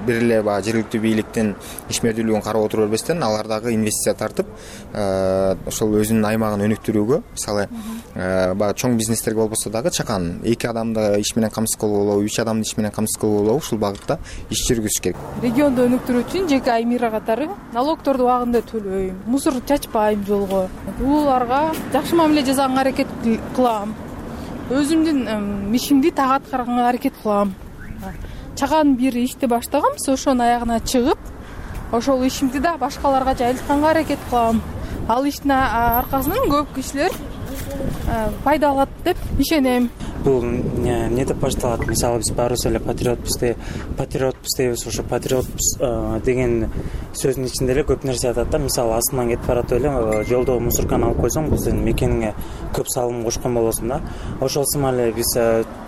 Бир эле баягы жергиликтүү бийликтин ишмердүүлүгүн карап отура бербестен, алар дагы инвестиция тартып, ошол өзүнүн аймагын өнүктүрүүгө, мисалы баягы чоң бизнестерге болбосо дагы чакан 2 адамды иш менен камсыз кылып алуу, 3 адамды иш менен камсыз кылып алуу, ушул багытта иш жүргүзүш керек. Регионду өнүктүрүү үчүн жеке аймира катары налогторду убагында төлөйм, мусор чачпайм жолго. Уларга жакшы мамиле жасаганга аракет кылам. Өзүмдүн ишимди так аткарганга аракет кылам. Чаган бир ишти баштагам, ошонун аягына чыгып, ошол ишимди да башкаларга жайылтканга аракет кылам. Ал иштин аркасынан көп кишилер пайда алат деп ишенем. Бул эмне деп башталат? Мисалы биз баарыбыз эле патриотпуз дейбиз, ошо патриотпуз деген сөздүн ичинде эле көп нерсе атат да. Мисалы астынан кетип баратып эле жолдо мусорканы алып койсоң, бул сенин мекениңе көп салым кошкон болосуң да. Ошол сымал эле биз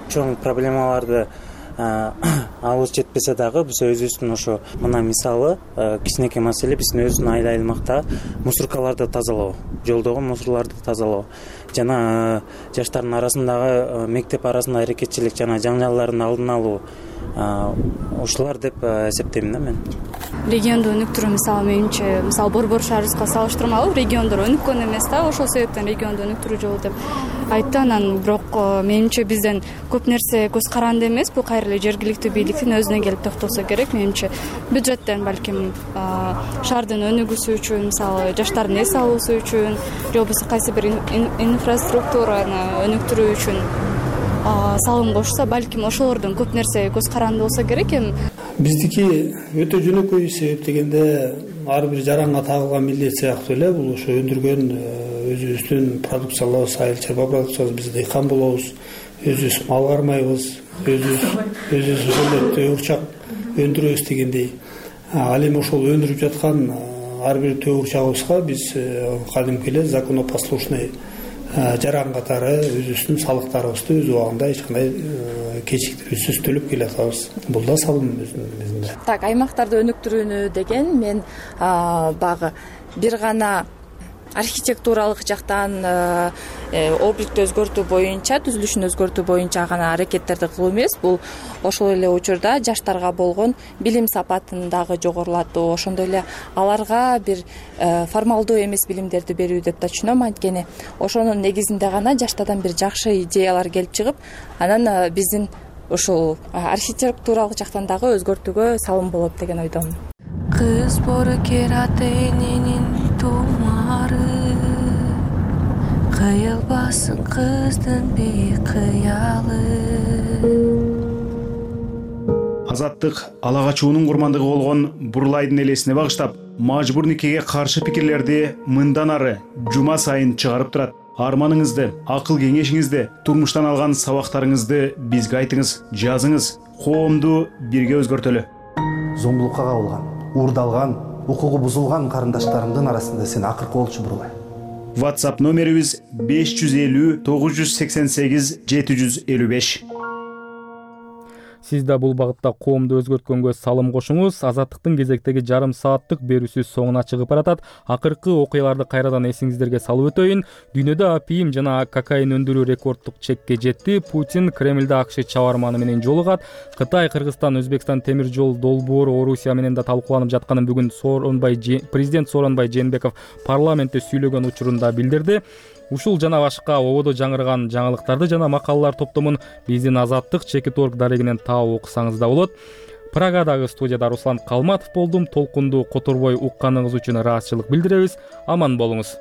чоң проблемаларды алыбыз жетпесе дагы биз өзүбүздүн ошо мына мисалы кичинекей маселе биздин өзүбүздүн айыл аймакта мусоркаларды тазалоо, жолдогу мусорларды тазалоо жана жаштардын арасындагы мектеп арасында аракетчилик жана жаңжалдардын алдын алуу, ушулар деп эсептейм да мен. Регионду өнүктүрүү мисалы менимче, мисалы Борбор шаарыбызга салыштырмалуу региондор өнүккөн эмес да, ошол себептен регионду өнүктүрүү жолу деп айтты. Анан бирок менимче бизден көп нерсе көз каранды эмес, бул кайра эле жергиликтүү бийликтин өзүнө келип токтолсо керек менимче. Бюджеттен балким шаардын өнүгүүсү үчүн, мисалы жаштардын эс алуусу үчүн, же болбосо кайсы бир инфраструктураны өнүктүрүү үчүн салым кошсо, балким ошолордон көп нерсе көз каранды болсо керек. Эми биздики өтө жөнөкөй, себеп дегенде ар бир жаранга тагылган милдет сыяктуу эле бул ошо өндүргөн өзүбүздүн продукцияларыбыз, айыл чарба продукциябыз, биз дыйкан болобуз, өзүбүз мал кармайбыз, өзүбүз ошондой төгүрчак өндүрөбүз дегендей. Ал эми ошол өндүрүп жаткан ар бир төгүрчагыбызга биз кадимки эле законопослушный жаран катары өзүбүздүн салыктарыбызды өз убагында эч кандай кечиктирүүсүз төлөп келатабыз. Бул да салым өзүнүн негизинде. Так, аймактарды өнүктүрүүнү деген мен баягы бир гана архитектуралык жактан обликтти өзгөртүү боюнча, түзүлүшүн өзгөртүү боюнча гана аракеттерди кылуу эмес, бул ошол эле учурда жаштарга болгон билим сапатын дагы жогорулатуу, ошондой эле аларга бир формалдуу эмес билимдерди берүү деп да түшүнөм. Анткени ошонун негизинде гана жаштардан бир жакшы идеялар келип чыгып, анан биздин ушул архитектуралык жактан дагы өзгөртүүгө салым болот деген ойдомун. Кыз боркер ата эненин тумары, кыйылбасын кыздын бейкыялы. Азаттык ала качуунун курмандыгы болгон Бурлайдын элесине багыштап, мажбур никеге каршы пикирлерди мындан ары жума сайын чыгарып турат. Арманыңызды, акыл кеңешиңизди, турмуштан алган сабактарыңызды бизге айтыңыз, жазыңыз. Коомду бирге өзгөртөлү. Зомбулукка кабылган, уурдалган, укугу бузулган карындаштарымдын арасында сен акыркы болчу Бурлай. WhatsApp номерибиз 550 988 755. Сиз да бул багытта коомду өзгөрткөнгө салым кошуңуз. Азаттыктын кезектеги жарым сааттык берүүсү соңуна чыгып баратат. Акыркы окуяларды кайрадан эсиңиздерге салып өтөйүн. Дүйнөдө апийим жана кокаин өндүрүү рекордтук чекке жетти. Путин Кремльде АКШ чабарманы менен жолугат. Кытай, Кыргызстан, Өзбекстан темир жол долбоору Орусия менен да талкууланып жатканын бүгүн президент Сооронбай Жээнбеков парламентте сүйлөгөн учурунда билдирди. Ушул жана башка ободо жаңырган жаңылыктарды жана макалалар топтомун биздин Азаттык Чекит.org дарегинен таап окусаңыз да болот. Прагадагы студияда Руслан Калматов болдум. Толкунду которбой укканыңыз үчүн ыраазычылык билдиребиз. Аман болуңуз.